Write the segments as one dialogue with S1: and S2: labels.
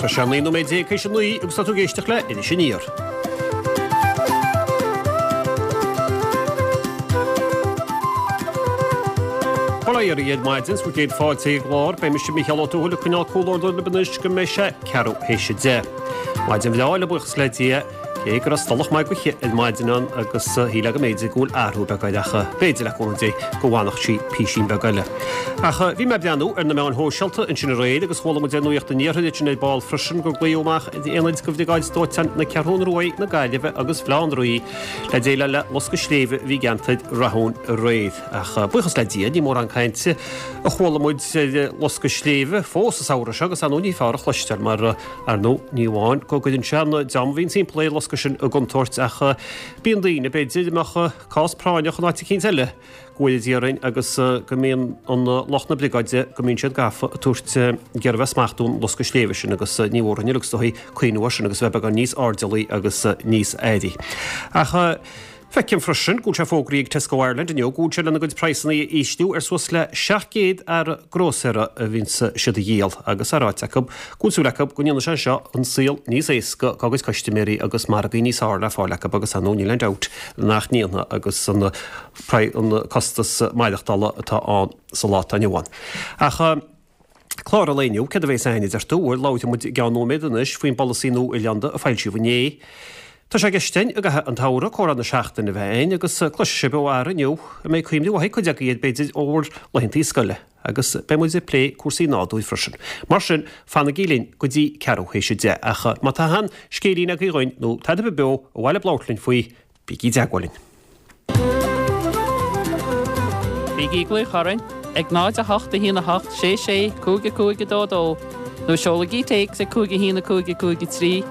S1: Tá sé 19 nóiméad théis a 9 agus tá tú ag éisteacht le Iris Aniar. Bail ó Dhia oraibh ar maidin, is bhur gcéad fáilte ag an gclár. Beidh mise Mícheál Ó Tuathail ag coinneáil comhluadar libh anois go mbeidh sé ceathrú théis a 10. Maidin bhreá le buíochas le Dia. Cé go raibh stolach maith gaoithe ar maidin ann agus shílfeá go mb'fhéidir go bhfuil athrú beag air ach b'fhéidir le cúnamh Dé go bhfanfadh sí písín beag eile. Ach bhí mé ag breathnú ar na meáin shóisialta ansin aréir agus chuala muid ar Nuacht an Iarthair ansin ar ball freisin gur glaodh amach ar aonaid de Bhriogáid Dóiteáin na Ceathrún Ruaidh, na Gaillimhe agus Bhaile Átha an Rí le déileáil le loscadh sléibhe a bhí i gceantar Rathúin aréir. Ach buíochas le Dia ní mórán cainte a chuala muid ar loscadh sléibhe fós an samhradh seo agus ar ndóigh ní fearr a chloisteáil mar Ar ndóigh, ní amháin go gcuireann sé an dream a bhíonn timpeall ar an loscadh sin i gcontúirt ach bíonn daoine, b'fhéidir, a mbeadh cás práinneach in áit eicínt eile, go bhfóire Dia orainn, agus go mbíonn an lucht na briogáide, go mbíonn siad gafa ag tabhairt, ag iarraidh bheith ag smachtú an loscadh sléibhe sin agus ní mhór dúinn uilig is dóigh cuimhniú air sin agus a bheith beagán níos airdeallaí agus níos airí. Ach. Feicim freisin go bhfuil sé fógraithe ag Tesco Ireland inniu go bhfuil siad lena gcuid praghsanna a ísliú ar suas le 700 earra grósaera a bhíonns siad a dhíol agus é ráite acu go bhfuil súil acu go ndéanfaidh sé seo an saol níos éasca dá gcuid custaiméirí agus margaí níos fearr le fáil acu agus ar ndóigh níl aon dabht nach ndéanfaidh agus an an costas maireachtála atá ann sa lá atá inniu ann. Ach. Clár an lae inniu, céard a bheas againn a deir tú? Bhuel, labhróidh muid i gceann nóiméad anois faoin bpolasaí nua oileánda a foilsíodh inné. Tá sé i gceist againn i gcaitheamh an tsamhraidh comhrá na seachtaine a bheith againn agus cloisfidh sibh ó fhear inniu a mbeidh cuimhne mhaith ag cuid agaibh air b'fhéidir ó bhur laethantaí scoile agus beidh muid ag plé cúrsaí nádúir freisin. Mar sin, fanaigí linn go dtí ceathrú théis a 10. Ach má tá aon scéilín agaibh dhuinn nó tada ar bith beo ar mhaith libh labhairt linn faoi, Bígí i dteagmháil linn.
S2: Bígí ag glaoch orainn ag 0 8 1 8 6 6 5 5 2 2 nó seolaigí téacs ag 5 1 5 5 3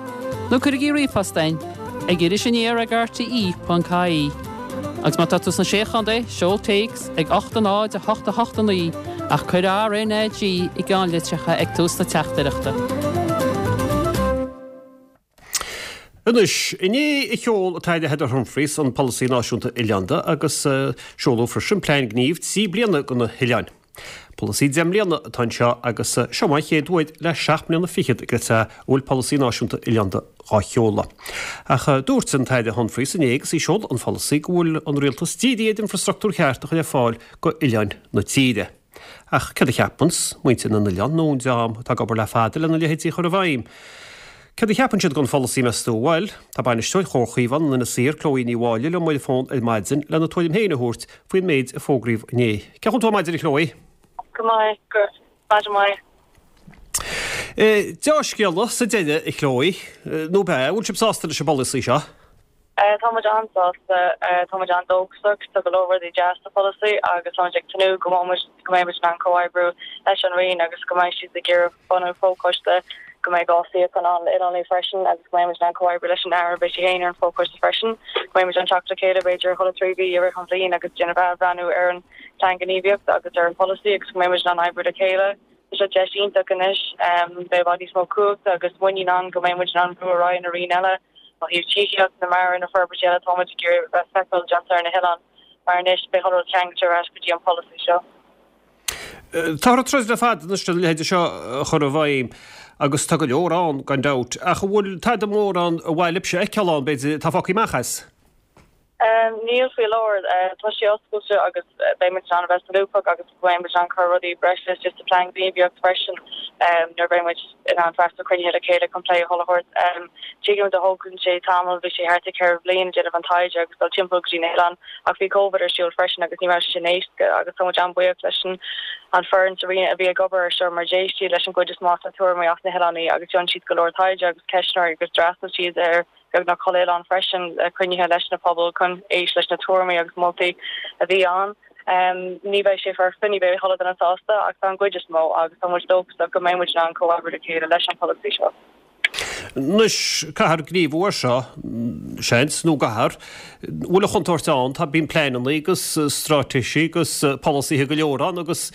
S2: nó cuirigí ríomhphost chugainn ag irisaniar ag rte.ie. Agus má tá tú sna Sé Chontae, seol téacs ag 8 0 8 8 9 ach cuir RNAG i gceannlitreacha ag tús na teachtaireachta.
S1: Anois, inné a sheol an tAire Heather Humphreys an Polasaí Náisiúnta Oileánda agus seoladh freisin plean gnímh 3 bliana do na hoileáin. Polasaí 10 mbliana atá anseo agus seo an chéad uair le seacht mbliana fichead go a bhfuil Polasaí Náisiúnta Oileánda dhá sheoladh. Ach dúirt an tAire Humphreys inné agus í ag seoladh an pholasaí go bhfuil an rialtas dírithe ar infrastruchtúr cheart a chur ar fáil go oileáin na tíre. Ach céard a cheapanns muintir na n-oileán nó an dream atá ag obair le fada lena leithéidí a chur i bhfeidhm? Céard a cheapann siad den pholasaí, meas tú? Bhuel, tá bainisteoir Chomhar Chaomhán in Inis Oírr, Chloe Ní Mháille, liom ar an bhfón ar maidin lena tuairim féin a thabhairt faoin méid a fógraíodh inné. Cén chaoi a bhfuil tú ar maidin, a Chloe?
S3: Go maith, go raibh maidin mhaith.
S1: Dea-scéala sa deireadh, a Chloe, nó ab ea? An bhfuil sibh sásta leis an bpolasaí seo?
S3: Tá muid an-sásta, tá muid an-dóchasach, tá go leor rudaí deas sa pholasaí agus tá muid ag tnúth go mbeidh go mbeidh muid in ann comhoibriú leis an Roinn agus go mbeidh siad ag iarraidh bunú fochoiste, go mbeidh 2 suíochán ann le oileánaigh freisin agus go mbeidh muid in ann comhoibriú leis an Aire, beidh sí féin ar an fochoiste freisin, go mbeidh muid in ann teacht le chéile b'fhéidir chuile 3 mhí i rith an bhliain agus déanamh athbhreathnú ar an plean gníomhaíochta agus ar an pholasaí agus go mbeidh muid in ann oibriú le chéile. Tá sé deis iontach anois. Beidh i bhfad níos mó cumhachta agus muinín ann go mbeidh muid in ann brú ar aghaidh na roinn eile ó thaobh tithíocht, na mara, na forbairtí eile atá muid ag iarraidh a bheith feiceáil déanta ar na hoileáin mar anois beidh chuile rud ceangailte ar ais go dtí an polasaí seo.
S1: Táthar ag troid le fada anois lena leithéide seo a chur i bhfeidhm agus tá go leor ann gan dabht ach an bhfuil tada mór ann ar mhaith libhse a fheiceáil ann, b'fhéidir, atá fágtha amach as?
S3: Níl faoi láthair. Tá sé oscailte agus beidh muid in ann a bheith solúbtha agus beidh muid in ann cur rudaí breise isteach sa plean gníomhaíochta freisin nuair a bheidh muid in ann freastal cruinnithe le chéile chun plé a thabhairt. Tuigim do thógann sé tamall, bhí sé thart ar 4 bhliain ag déanamh an taighde agus dul timpeall go dtí na hoileáin ach bhí Covid ar siúl freisin agus ní raibh sé sin éasca agus tá muid an-bhuíoch leis an foireann sa Roinn a bhí ag obair ar seo mar d'éist siad leis an gcuid is mó de na tuairimí as na hoileáin agus dhein siad go leor taighde agus ceistneoirí agus d'fhreastail siad ar beagnach chuile oileán freisin le cruinnithe leis na pobail chun éist leis na tuairimí agus moltaí a bhí ann. Ní bheidh sé foirfe, ní bheidh chuile duine sásta ach tá an gcuid is mó agus tá muid dóchasach go mbeidh muid in ann comhoibriú le chéile leis an pholasaí seo.
S1: Anois, caithfear gníomhú air seo, seans, nó an gcaithfear? An bhfuil an chontúirt ann, tá, bíonn pleananna agus straitéisí agus polasaithe go leor ann agus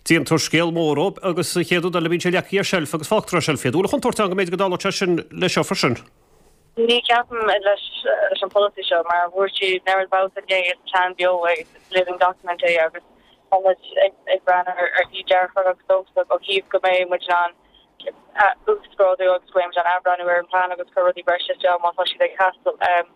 S1: déantar scéal mór dhóibh agus an chéad rud eile bíonn sé leagtha ar seilf agus fágtar ar seilf iad. An bhfuil an chontúirt ann go mb'fhéidir go dtarlódh sé sin leis seo freisin?
S3: Ní cheapaim leis an pholasaí seo mar dúirt siad an oiread babhta inné is plean beo é, is living document é agus tá muid ag breathnú ar thaobh dearfach agus dóchasach ó thaobh go mbeidh muid in ann. uasghrádú agus go mbeidh muid in ann athbhreathnú ar an bplean agus cur rudaí breise isteach má tá siad ag teastáil.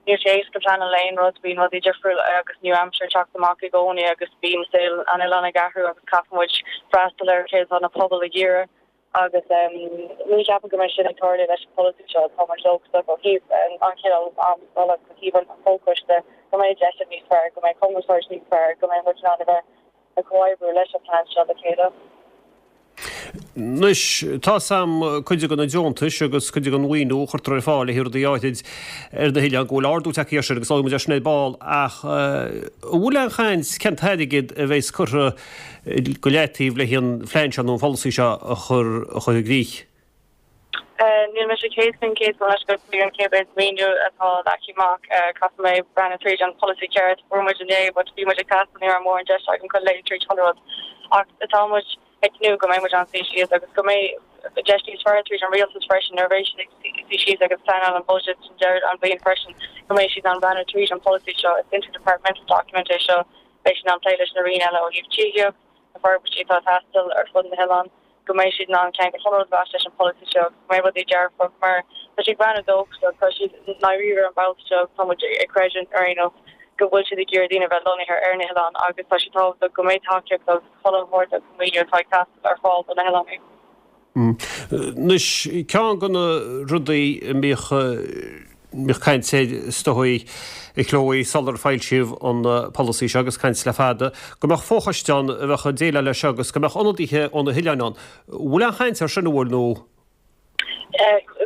S3: Níl sé éasca pleanáil aon rud, bíonn rudaí difriúil agus nua-aimseartha ag teacht amach i gcónaí agus bíonn saol an oileáin ag athrú agus caithfidh muid freastal ar céard atá na pobail ag iarraidh agus ní cheapaim go mbeidh sin ag tarlú leis an pholasaí seo. Tá muid dóchasach ó thaobh an chineál am scoile agus ó thaobh an chomhchoiste go mbeidh deiseanna níos fearr, go mbeidh cumarsáid níos fearr, go mbeidh muid in ann a bheith ag comhoibriú leis an phlean seo le chéile.
S1: Anois, tá 's a'm cuid de na deontais agus cuid den mhaoiniú a chuirtear ar fáil le haghaidh rudaí áithrid ar na hoileáin, go bhfuil ardú tagtha air sin agus labhróidh muid air sin ar ball ach an bhfuil aon chaint cén t-airgead a bheas curtha go leataobh le haghaidh an phlean seo nó an pholasaí seo a chur a chur i gcrích?
S3: Níl mise 100% gabh mo leithscéal faoi an cé mhéad maoiniú atá leagtha amach. Caithfidh mé breathnú tríd an polasaí ceart. Fuair muid inné but bhí muid ag taisteal ní raibh mórán deis agam chun léamh tríd chuile rud. Ach tá muid ag tnúth go mbeidh muid in ann suí síos agus go mbeidh deis níos fearr tríd an rialtas freisin nuair a bheidh siad ag suí síos agus pleanáil an budget an deireadh an bhliain freisin go mbeidh siad in ann breathnú tríd an polasaí seo. Is interdepartmental document é seo. Beidh siad in ann plé leis na roinn eile ó thaobh tithíocht, na forbairtí atá ag teastáil ar fud na hoileáin, go mbeidh siad in ann ceangal chuile rud a bheas leis an pholasaí seo, go mbeidh rudaí dearfach mar tá siad ag breathnú dóchasach, tá siad i ndáiríre an babhta seo, tá muid ag creidiúint ar aon nós go bhfuil siad ag iarraidh daoine a bheith lonnaithe ar na hoileáin agus tá sé tábhachtach go mbeidh tacaíocht agus chuile shórt agus maoiniú atá ag teastáil ar fáil do na hoileáin.
S1: Anois, ceann de na rudaí a mbíodh, mbíodh caint air is dóigh, a Chloe, sular foilsíodh an polasaí seo, agus caint le fada, go mbeadh fochoiste ann a bheadh ag déileáil leis seo agus go mbeadh ionadaithe ó na hoileáin ann. Bhfuil aon chaint air sin, an bhfuil, nó?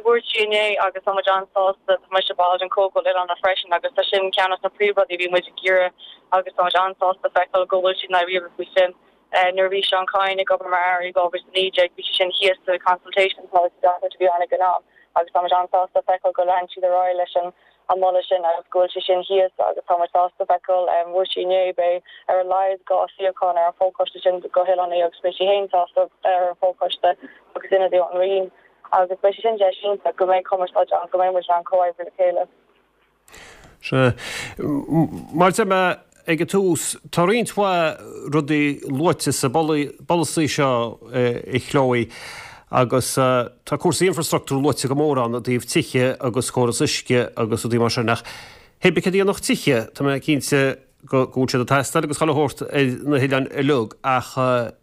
S3: Dúirt sí inné agus tá muid an-sásta, tá mise ball den Chomhdháil Oileánach freisin agus tá sin ceann de na príomhrudaí a bhí muid ag iarraidh agus tá muid an-sásta feiceáil go bhfuil siad i ndáiríre faoi sin. Nuair a bhí Seán Kyne ag obair mar Aire i 2019 bhí sé sin thíos sa consultation policy document a bhí ann ag an am agus tá muid an-sásta feiceáil go lean siad ar aghaidh leis an moladh sin agus go bhfuil sé sin thíos agus tá muid sásta feiceáil dúirt sí inné beidh ar a laghad 2 suíochán ar an fhochoiste sin go hoileánaigh agus beidh sí féin sásta ar an fhochoiste agus ionadaí ón Roinn agus beidh sé sin deis iontach go mbeidh cumarsáid ann go mbeidh muid in ann comhoibriú le chéile.
S1: Sea. Mar a deir mé ag an tús, tá roinnt mhaith rudaí luaite sa bpolasaí seo, a Chloe, agus tá cúrsaí infreastruchtúir luaite go mór ann i dtaobh tithe agus córas uisce agus rudaí mar sin. Ach hé bith céard a dhéanfadh tithe, tá mé cinnte go bhfuil siad ag teastáil agus chuile shórt ar na hoileáin uilig ach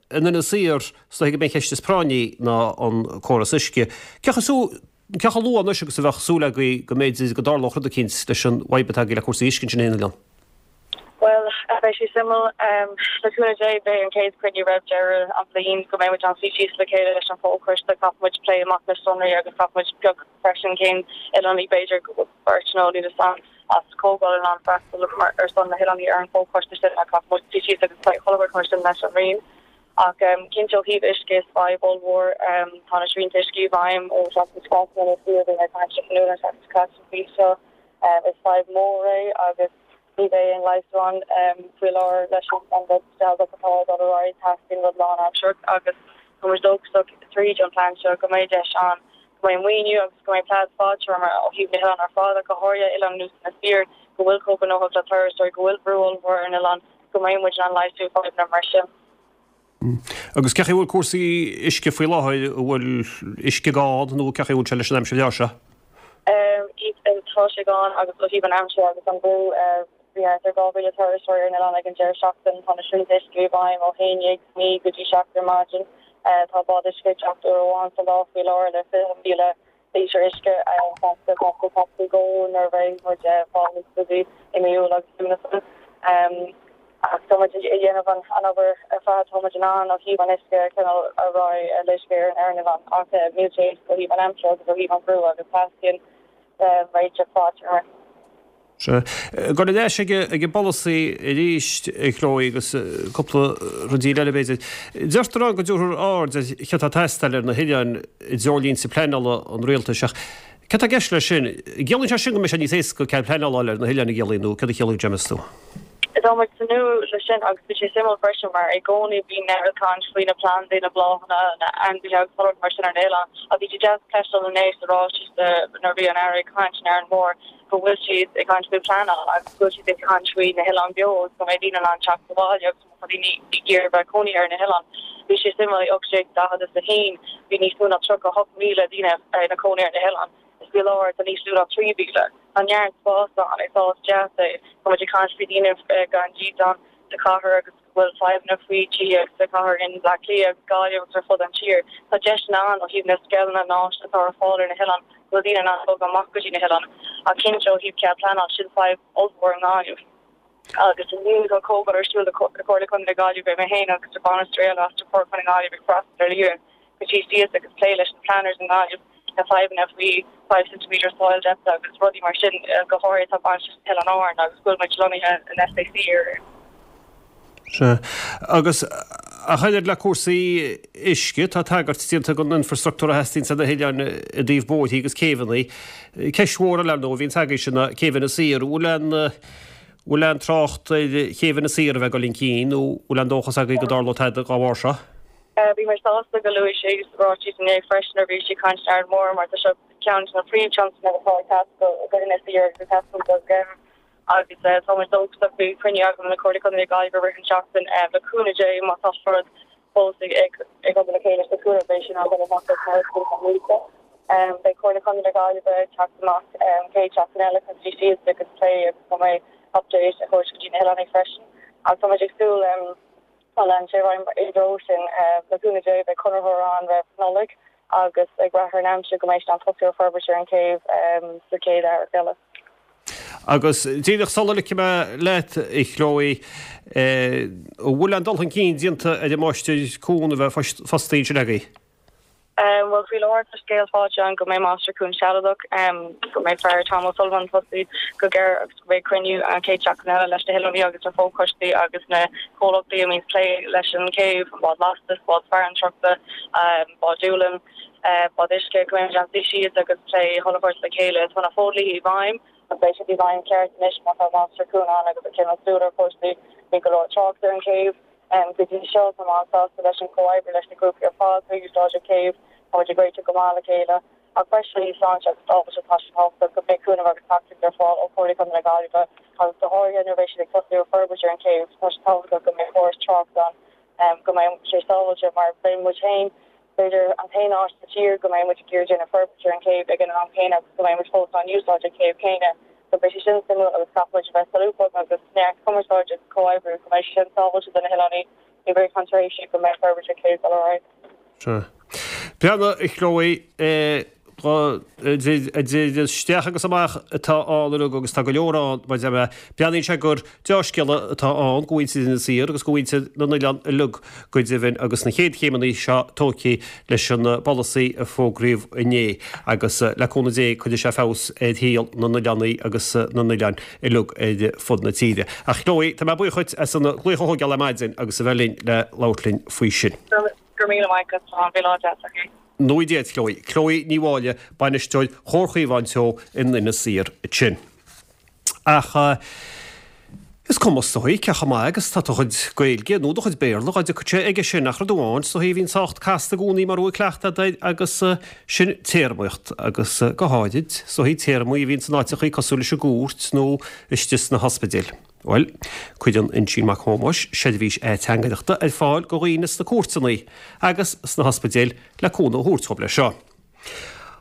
S1: in Inis Oírr, is dóigh gurb é an cheist is práinní ná an córas uisce. Cé chomh Cé chomh luath anois agus a bheadh súil agaibh go mb'fhéidir go dtarlódh rud eicínt leis an bhfadhb atá agaibh le cúrsaí uisce ansin ar an oileán?
S3: Bhuel, beidh sé suimiúil. Le cúnamh Dé, beidh an chéad chruinniú roimh deireadh an bhliain go mbeidh muid in ann suí síos le chéile leis an fho-choiste. Caithfidh muid plé amach na sonraí agus caithfidh muid piocadh freisin cén oileánaí, b'fhéidir go bhfuil beirt nó níl 'fhios a'm, as Comhdháil in ann freastal ar son na hoileánaí ar an bhfo-choiste sin ach caithfidh muid suí síos agus plé chuile rud mar sin leis an Roinn. Ach cinnte ó thaobh uisce is fadhb ollmhór. Tá na srianta uisce i bhfeidhm ó seachtain seo caite nó fiú bhí mé ag caint leis an Nuala an tseachtain seo caite faoi seo. Is fadhb mhór é agus ní bheidh aon leigheas ann faoi láthair leis an rud sealadach atá ag dul ar aghaidh. Teastaíonn rud lán-aimsearach agus tá muid dóchasach tríd an plean seo go mbeidh deis ann go mbeidh maoiniú agus go mbeidh plean fadtéarma ó thaobh na hoileán ar fad ach go háirithe Oileán Inis Oírr go bhfuil chomh gnóthach le turasóirí, go bhfuil brú ollmhór ar an oileán. go mbeidh muid in ann leigheasú fadhbanna mar sin.
S1: Agus cén chaoi a bhfuil cúrsaí uisce faoi láthair, an bhfuil uisce gann nó cén chaoi a bhfuil sé leis an aimsir bhreá seo?
S3: Tá sé gann agus ó thaobh an aimsir agus an brú, bhí thart ar 2,000 turasóir ar an oileán ag an deireadh seachtaine, tá na srianta uisce i bhfeidhm ó 11 9 go dtí 7 ar maidin, tá bád uisce ag teacht uair amháin sa lá faoi láthair le 20,000 lítear uisce seans go mbeidh sé faoi dhó nuair a bheidh muid ag fáil níos busy i mí Iúil agus Lúnasa. Ach tá muid ag déanamh an obair ar fad atá muid in ann ó thaobh an uisce a choinneáil ar aghaidh le uisce ar an oileán ach níl sé éasca ó thaobh an aimsire agus ó thaobh an bhrú agus teastaíonn réiteach fadtéarma.
S1: Sea. Ag dul ar ais ag an bpolasaí arís, a Chloe, agus cúpla rudaí eile, b'fhéidir. Deirtear ann go dtabharfar aird ar céard atá ag teastáil ar na hoileáin i dtreoirlínte pleanála an rialtais, ach céard atá i gceist leis sin? An gciallaíonn sé sin go mbeidh sé níos éasca cead pleanála a fháil ar na hoileáin, an gciallaíonn, nó céard a chiallaíonn sé, meas tú?
S3: Tá muid ag tnúth leis sin agus bhí sé suimiúil freisin mar i gcónaí bíonn an chaint faoi na plandaí, na bláthanna, na ainmhithe agus chuile rud mar sin ar an oileán ach bhí sé deas cloisteáil inné sa ráiteas nuair a bhí an Aire ag caint in Árainn Mhór go bhfuil siad ag caint faoi pleanáil agus go bhfuil siad ag caint faoi na hoileáin beo agus go mbeidh daoine in ann teacht abhaile agus má tá daoine ag iarraidh bheith cónaí ar na hoileáin. Bhí sé suimiúil i 1841 bhí níos mó ná 38,000 daoine ina cónaí ar na hoileáin. Is faoi láthair tá níos lú ná 3,000. Tá neart spáis ann, is áit deas é. Tá muid ag caint faoi daoine gan dídean sa chathair agus go bhfuil fadhbanna faoi tithe sa chathair in Bleá Cliath agus Gaillimh agus ar fud an tír. Tá deiseanna ann ó thaobh na scileanna na háiseanna atá ar fáil ar na hoileáin go bhfuil daoine in ann bogadh amach go dtí na hoileáin. Ach cinnte ó thaobh cead pleanáil sin fadhb ollmhór i nGaillimh. Agus inniu tá comhdháil ar siúl le Comhairle Contae na Gaillimhe, beidh mé féin agus bainisteoir eile as Comhairle Contae na Gaillimhe ag freastal ar líne go dtí síos agus plé leis na planners i nGaillimh na fadhbanna faoi 5 centimetre soil depth agus rudaí mar sin, go háirithe atá bainteach le hOileáin Árann agus go bhfuil muid lonnaithe in SAC ar.
S1: Sea. Agus ach oiread le cúrsaí uisce, tá tagairt déanta don infrastructúr a theastaíonns ar na hoileáin i dtaobh bóithrí agus céibheanna. Ceist mhór eile, ar ndóigh, a bhíonns agaibhse ná céibh Inis Oírr. Bhfuil aon, bhfuil aon trácht ar chéibh Inis Oírr a bheith ag dul chun cinn nó bhfuil aon dóchas agaibh go dtarlóidh tada dá bharr seo?
S3: Bhí mé sásta go luaigh sé sa ráiteas inné freisin nuair a bhí sí ag caint in Arann Mór mar tá seo ceann de na príomhthionscnaimh atá ag teastáil go hInis Oírr agus ag teastáil do Ghaillimh agus tá muid dóchasach bhí cruinniú agam le Comhairle Contae na Gaillimhe i rith an tseachtain le cúnamh Dé má tá rud fós ag ag obair le chéile sa cúnamh beidh sin á dul amach as mar is Beidh Comhairle Contae na Gaillimhe ag teacht amach an chéad seachtain eile chun suí síos agus plé agus tá mé update a thabhairt go dtí na hoileánaigh freisin agus tá muid ag súil Má leanann sé ar aghaidh i dtreo sin, le cúnamh Dé, beidh conraitheoir ann roimh Nollaig agus ag brath ar an aimsir go mbeidh siad in ann tosú ar forbairt ar an chéibh sa chéad earrach eile.
S1: Agus díreach sula ligfidh mé leat, a Chloe, an bhfuil aon dul chun cinn déanta ar an máistir cuain a bheith fostaithe ansin agaibh?
S3: Bhuel, faoi láthair tá scéal faighte againn go mbeidh Máistir Cuain sealadach, go mbeidh fear Tom O'Sullivan fostaithe go gearr agus go mbeidh cruinniú an chéad seachtain eile leis na hoileánaigh agus na fochoistí agus na comhlachtaí a mbíonns plé leis an chéibh, an bád lastais, bád farantrachta, bád Doolin, bád uisce, go mbeidh muid in ann suí síos agus plé chuile shórt le chéile. Tá na fodhlíthe i bhfeidhm agus beidh siad i bhfeidhm ceart anois má tá Máistir Cuain ann agus ag coinneáil súil ar chúrsaí. Bhí go leor trácht ar an chéibh. Go dtí seo, tá mé an-sásta leis an chomhoibriú leis na grúpaí ar fad atá ag úsáid an chéibh. Tá muid ag réiteach go maith le chéile. Ach freisin ó thaobh sláinte agus sábháilteachta tá sé tábhachtach go mbeidh cúnamh agus tacaíocht ar fáil ó Chomhairle Contae na Gaillimhe agus go háirithe nuair a bheidh siad ag tosú ar forbairt ar an chéibh tá sé tábhachtach go mbeidh córas tráchta ann go mbeidh sé sábháilte mar beidh muid féin b'fhéidir an t-aon áit sa tír go mbeidh muid ag iarraidh déanamh forbairt ar an chéibh ag an am céanna agus go mbeidh muid fós in ann úsáid an chéibh céanna. So beidh sé sin suimiúil agus caithfidh muid a bheith solúbtha agus neart cumarsáide agus comhoibriú go mbeidh sé sin sábháilte do na hoileánaigh i rith an tréimhse go mbeidh forbairt an chéibh ag dul ar aghaidh.
S1: Sea. Breathnaigh, a Chloe, idir isteach agus amach atá ann uilig agus tá go leor ann mar deir mé. Breathnaíonn sé gur deá-scéala atá ann go mhuintir Inis Oírr agus go mhuintir na n-oileán uilig go deimhin agus na chéad chéimeanna seo tógtha leis an bpolasaí a fógraíodh inné agus le cúnamh Dé cuirfidh sé feabhas ar shaol na n-oileánaí agus na n-oileán uilig ar fud na tíre. Ach Chloe, tá mé buíoch dhuit as an glaoch a thógáil ar maidin agus a bheith linn le labhairt linn faoi sin.
S3: Go raibh míle maith agat, Seán. Bhí lá deas againn.
S1: Go ngnóthaí Dia duit, Chloe. Chloe Ní Mháille, Bainisteoir Chomhar Chaomhán Teo in Inis Oírr ansin. Ach is cuma is dóigh cé chomh maith agus tá do chuid Gaeilge nó do chuid Béarla dhá dtiocfadh sé aige sin ach rud amháin is dóigh a bhíonn sách casta i gcónaí mura bhfuil cleachtadh agat air agus sin téarmaíocht agus go háirid is dóigh téarmaí a bhíonn in áiteachaí cosúil leis an gcúirt nó istigh sna hospidéil. Bhuel, cuireann Uinsíonn Mac Thomáis seirbhís ateangaireachta ar fáil go dhaoine sna cúirteanna agus sna hospidéil le cúnamh a thabhairt dhóibh leis seo.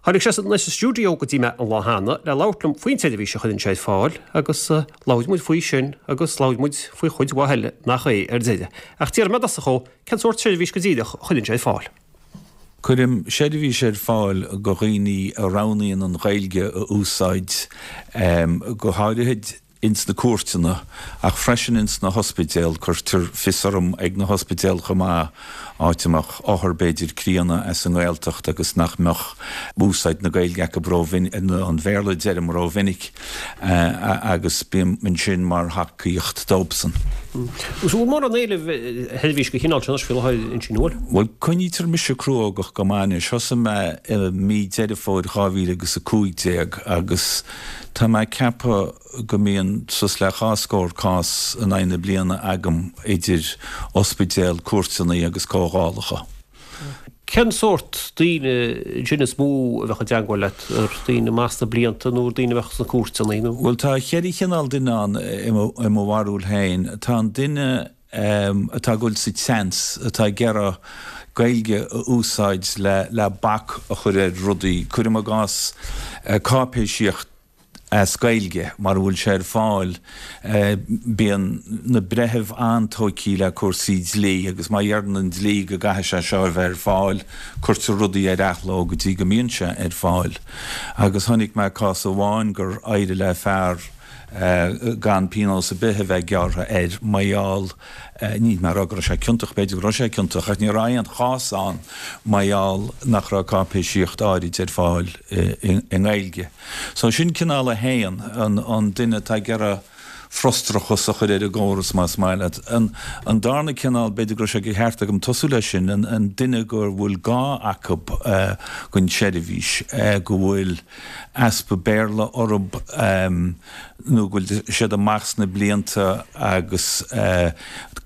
S1: Tháinig sé anois sa stiúideo go dtí mé an lá cheana le labhairt liom faoin tseirbhís a chuireann sé ar fáil agus labhair muid faoi sin agus labhair muid faoi chuid mhaith eile nach é ar deireadh. Ach déarfaidh mé i dtosach dhó cén sórt seirbhís go díreach a chuireann sé ar fáil.
S4: Cuirim seirbhís ar fáil go dhaoine a roghnaíonn an Ghaeilge a úsáid, go háirithe ins na cúirteanna, ach freisin ins na hospidéil, cuirtear fios orm ag na hospidéil chomh maith, áit a mbeadh othar b'fhéidir críonna as an nGaeltacht agus nach mbeadh úsáid na Gaeilge acu ró-mhinic, an Bhéarla deirim, ró-mhinic, agus bím ansin mar thacaíocht dóibhsan.
S1: An bhfuil mórán éilimh ar sheirbhís den chineál sin anois faoi láthair, Uinsíonn, an bhfuil?
S4: Bhuel, coinnítear mise cruógach go maith anois. Thosaigh mé i mí Deireadh Fómhair 2015 agus Tá mé ag ceapadh go mbíonn suas le dhá scór cás in aghaidh na bliana agam idir ospidéil, cúirteanna agus comhdhálacha.
S1: Cén sórt daoine ansin is mó a bheadh i dteangmháil leat? Ar daoine amach sna blianta nó ar daoine a bheadh sna cúirteanna nó?
S4: Bhuel tá cheithre chineál duine ann i mo bharúil féin. Tá an duine. atá ag dul sa tseans, atá ag iarraidh Gaeilge a úsáid le bac a chur ar rudaí, cuirim i gcás cáipéisíocht as Gaeilge, mara bhfuil sé ar fáil, bíonn na breithimh an-tóigthe le cúrsaí dlí agus má dheireann an dlí go gcaithfidh sé seo a bheith ar fáil, cuirtear rudaí ar athló go dtí go mbíonn sé ar fáil. Agus chonaic mé cás amháin gur éirigh le fear gan pionós ar bith a bheith gearrtha air mar gheall, níl mé ag rá go raibh sé ciontach, b'fhéidir go raibh sé ciontach, ach ní raibh aon chás ann mar gheall nach raibh cáipéisíocht áirid ar fáil i nGaeilge. So sin cineál a haon, an duine atá ag iarraidh frustrachas a chur ar an gcóras más maith leat. An darna cineál, b'fhéidir go raibh sé de cheart agam tosú leis sin, an duine go bhfuil gá acu don tseirbhís, go bhfuil easpa Béarla orthu nó go bhfuil siad amach sna blianta agus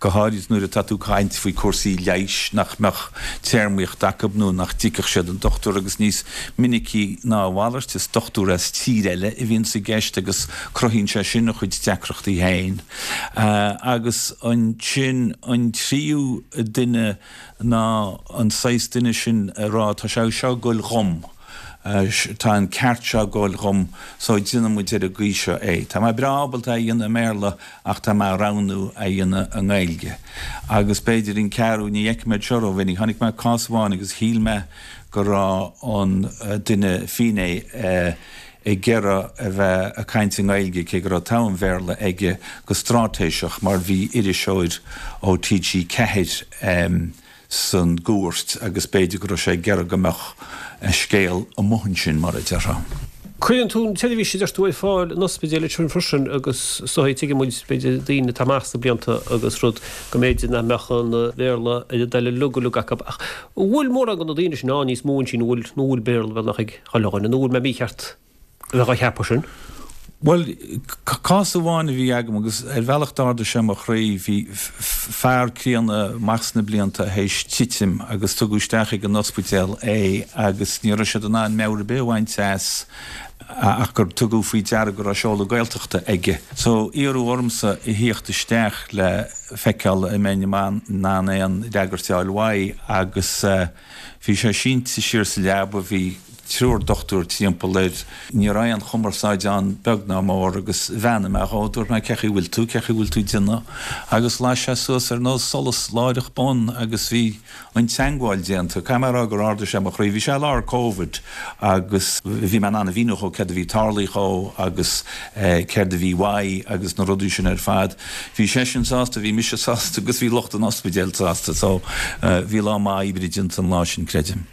S4: go háirid nuair atá tú ag caint faoi cúrsaí leighis nach mbeadh téarmaíocht acu nó nach dtuigfeadh siad an dochtúir agus níos minicí ná a mhalairt is dochtúir as tír eile a bhíonns i gceist agus cruthaíonn sé sin a chuid deacrachtaí féin. Agus ansin an tríú duine ná an saghas duine sin ag rá tá sé seo ag goil dhom. Tá an ceart seo ag goil dhom so déanfaidh muid ar an gcaoi seo é. Tá mé breá ábalta é a dhéanamh i mBéarla ach tá mé a roghnú é a dhéanamh i nGaeilge. Agus b'fhéidir an ceathrú, ní fheicim iad seo rómhinic, chonaic mé cás amháin agus shíl mé go raibh an duine finné ag iarraidh a bheith ag caint i nGaeilge cé go raibh togha an Bhéarla aige go straitéiseach mar bhí iriseoir ó TG4 san gcúirt agus b'fhéidir go raibh sé ag iarraidh go mbeadh a scéal amuigh ansin, mar a déarfá.
S1: Cuireann tú an tseirbhís a deir tú ar fáil in ospidéil ansin freisin agus is dóigh, tuigeann muid, b'fhéidir, daoine atá amach sna blianta agus rud go mb'fhéidir nach mbeadh an Béarla ar a dtoil uilig uilig acu ach an bhfuil mórán de na daoine sin ann níos mó ansin a bhfuil, nó bhfuil Béarla beagnach ag chuile dhuine nó bhfuil mé mícheart? a bheith á cheapadh sin.
S4: Bhuel, cás amháin a bhí agam agus ar bhealach d'ardaigh sé mo chroí, bhí fear críonna amach sna blianta théis titim agus tugadh isteach ag an ospidéal é agus ní raibh siad in ann meabhair ar bith a bhaint as ach gur tugadh faoi deara go raibh seoladh Gaeltachta aige. So, iarradh ormsa a thíocht isteach le feiceáil an mbeinn in ann aon fhreagairt a fháil uaidh agus Bhí sé sínte siar sa leaba, bhí triúr dochtúir timpeall air, ní raibh aon chumarsáid ann beag ná mór agus bheannaigh mé dhó, dúirt mé cé chaoi bhfuil tú, cé chaoi bhfuil tú ag déanamh agus las sé suas ar nós solas láithreach bonn agus bhí an teangmháil déanta. Caithfidh mé a rá gur ardaigh sé mo chroí, bhí sé i lár Covid agus bhí mé in ann a mhíniú dhó céard a bhí tarlaithe dhó agus céard a bhí uaidh agus na rudaí sin ar fad. Bhí seisean sásta, bhí mise sásta agus bhí lucht an ospidéil sásta so bhí lá maith oibre déanta an lá sin, creidim.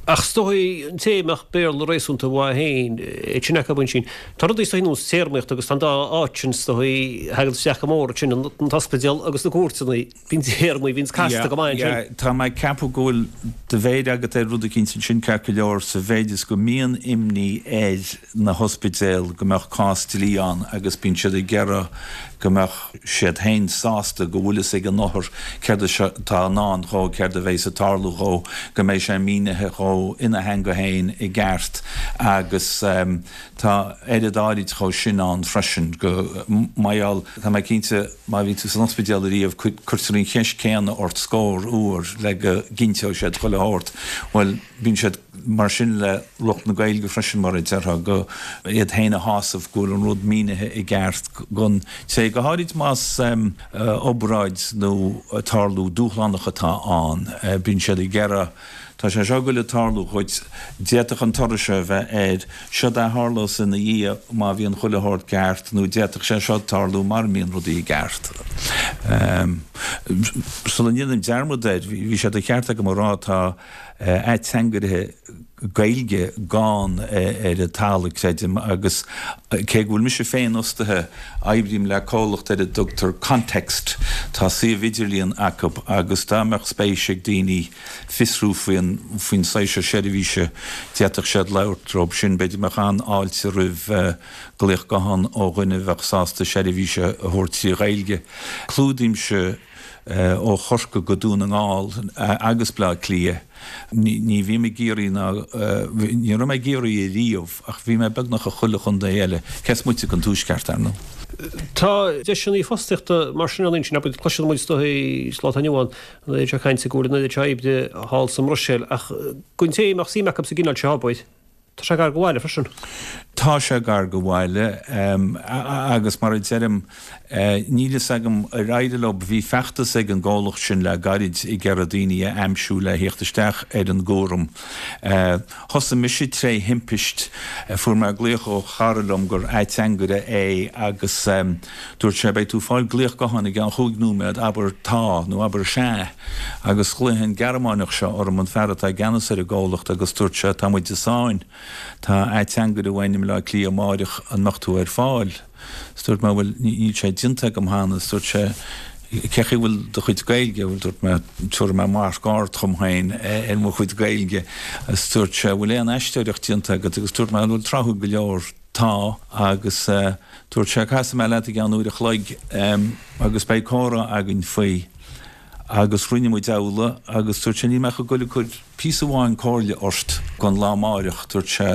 S1: Ach is dóigh an té a mbeadh Béarla réasúnta mhaith féin, iad sin acu ansin. Tá rudaí is dóigh ar nós téarmaíocht agus tá an dá áit sin is dóigh, thagann isteach go mór ansin, an t-ospidéal agus na cúirteanna, bíonn téarmaí, bíonn casta go maith ansin.
S4: Yeah, tá mé ag ceapadh go bhfuil do mhéir agat ar rud eicínt ansin ceart go leor sa mhéid is go mbíonn imní ar na hospidéil go mbeadh cás dlí ann agus bíonn siad ag iarraidh go mbeadh siad féin sásta go bhfuil fhios ag an othar céard atá i ndán dhó, céard a bheas ag tarlú dhó, go mbeidh sé mínithe dhó ina theanga féin i gceart agus tá oiread áirid dhó sin ann freisin go mar gheall, tá mé cinnte má bhí tú san ospidéal ariamh cuirtear an cheist céanna ort scór uair le go gcinnteoidh siad chuile shórt, bhuel bíonn siad. Mar sin le lucht na Gaeilge freisin, mar a déarfá, go iad féin a shásamh go bhfuil an rud mínithe i gceart don té, go háirid más obráid nó tarlú dúshlánach atá ann, bíonn siad ag iarraidh, tá sé seo ag goil ag tarlú dhuit, d'fhéadfadh an toradh seo a bheith air, seod é a tharlós ina dhiaidh má bhíonn chuile shórt ceart nó d'fhéadfadh sé seo tarlú mara mbíonn rudaí i gceart. Sula ndéanaim dearmad air, bhí sé de cheart agam a rá, tá. ateangairithe Gaeilge gann ar an talamh, creidim, agus cé go bhfuil mise féin fhostaithe, oibrím le comhlacht ar a dtugtar Context, tá suíomh idirlíon acu agus dá mbeadh spéis ag daoine fiosrú faoin faoin saghas seo seirbhíse, d'fhéadfadh siad labhairt leo sin. B'fhéidir go mbeadh an-fháilte roimh glaoch guthán ó dhuine a bheadh sásta seirbhís a thabhairt trí Ghaeilge. Clúdaímse. ó Chorcaigh go Dún na nGall agus Bleá Cliath. Ní bhím i gCiarraí ná, ní raibh mé i gCiarraí ariamh ach bhí mé beagnach i chuile chontae eile, cé is moite den Tuaisceart, ar ndóigh.
S1: Tá deiseanna fostaíochta mar sin ann ansin, abair, cloiseann muid is dóigh sa lá atá inniu ann, an oiread seo cainte go bhfuil an oiread seo oibre thall sa mBruiséil ach don té a mbeadh suim acu sa gcineál seo obair, Tá sé gar do bhaile freisin.
S4: Tá sé gar do bhaile agus mar a deirim, níl fhios agam ar éirigh leo, bhí feachtas ag an gcomhlacht sin le gairid ag iarraidh daoine a aimsiú le thíocht isteach ar an gcúram. Thosaigh mise tré thimpist, fuair mé glaoch ó chara liom gur ateangaire é agus dúirt sé beidh tú ag fáil glaoch gutháin i gceann chúig nóiméad, abair tá nó abair sea. Agus ghlaoigh an Gearmáineach seo orm, an fear atá i gceannas ar an gcomhlacht, agus dúirt sé, Tá muid i sáinn. Tá ateangaire uainn i mBleá Cliath amáireach, an mbeadh tú ar fáil? Is dúirt mé, Bhuel, níl sé déanta agam cheana. Is dúirt sé, Cé chaoi bhfuil do chuid Gaeilge? Bhuel, dúirt mé, Tabharfaidh mé marc ard dhom féin ar mo chuid Gaeilge. Is dúirt sé, Bhfuil aon aisteoireacht déanta agat? Agus dúirt mé, Bhuel, tráthúil go leor, tá. Agus dúirt sé, Casfaidh mé leat i gceann uair a chloig agus beidh comhrá againn faoi. Agus rinne muid amhlaidh agus dúirt sé, níl mé ach ag goil ag cur píosa amháin comhairle ort don lá amáireach, dúirt sé,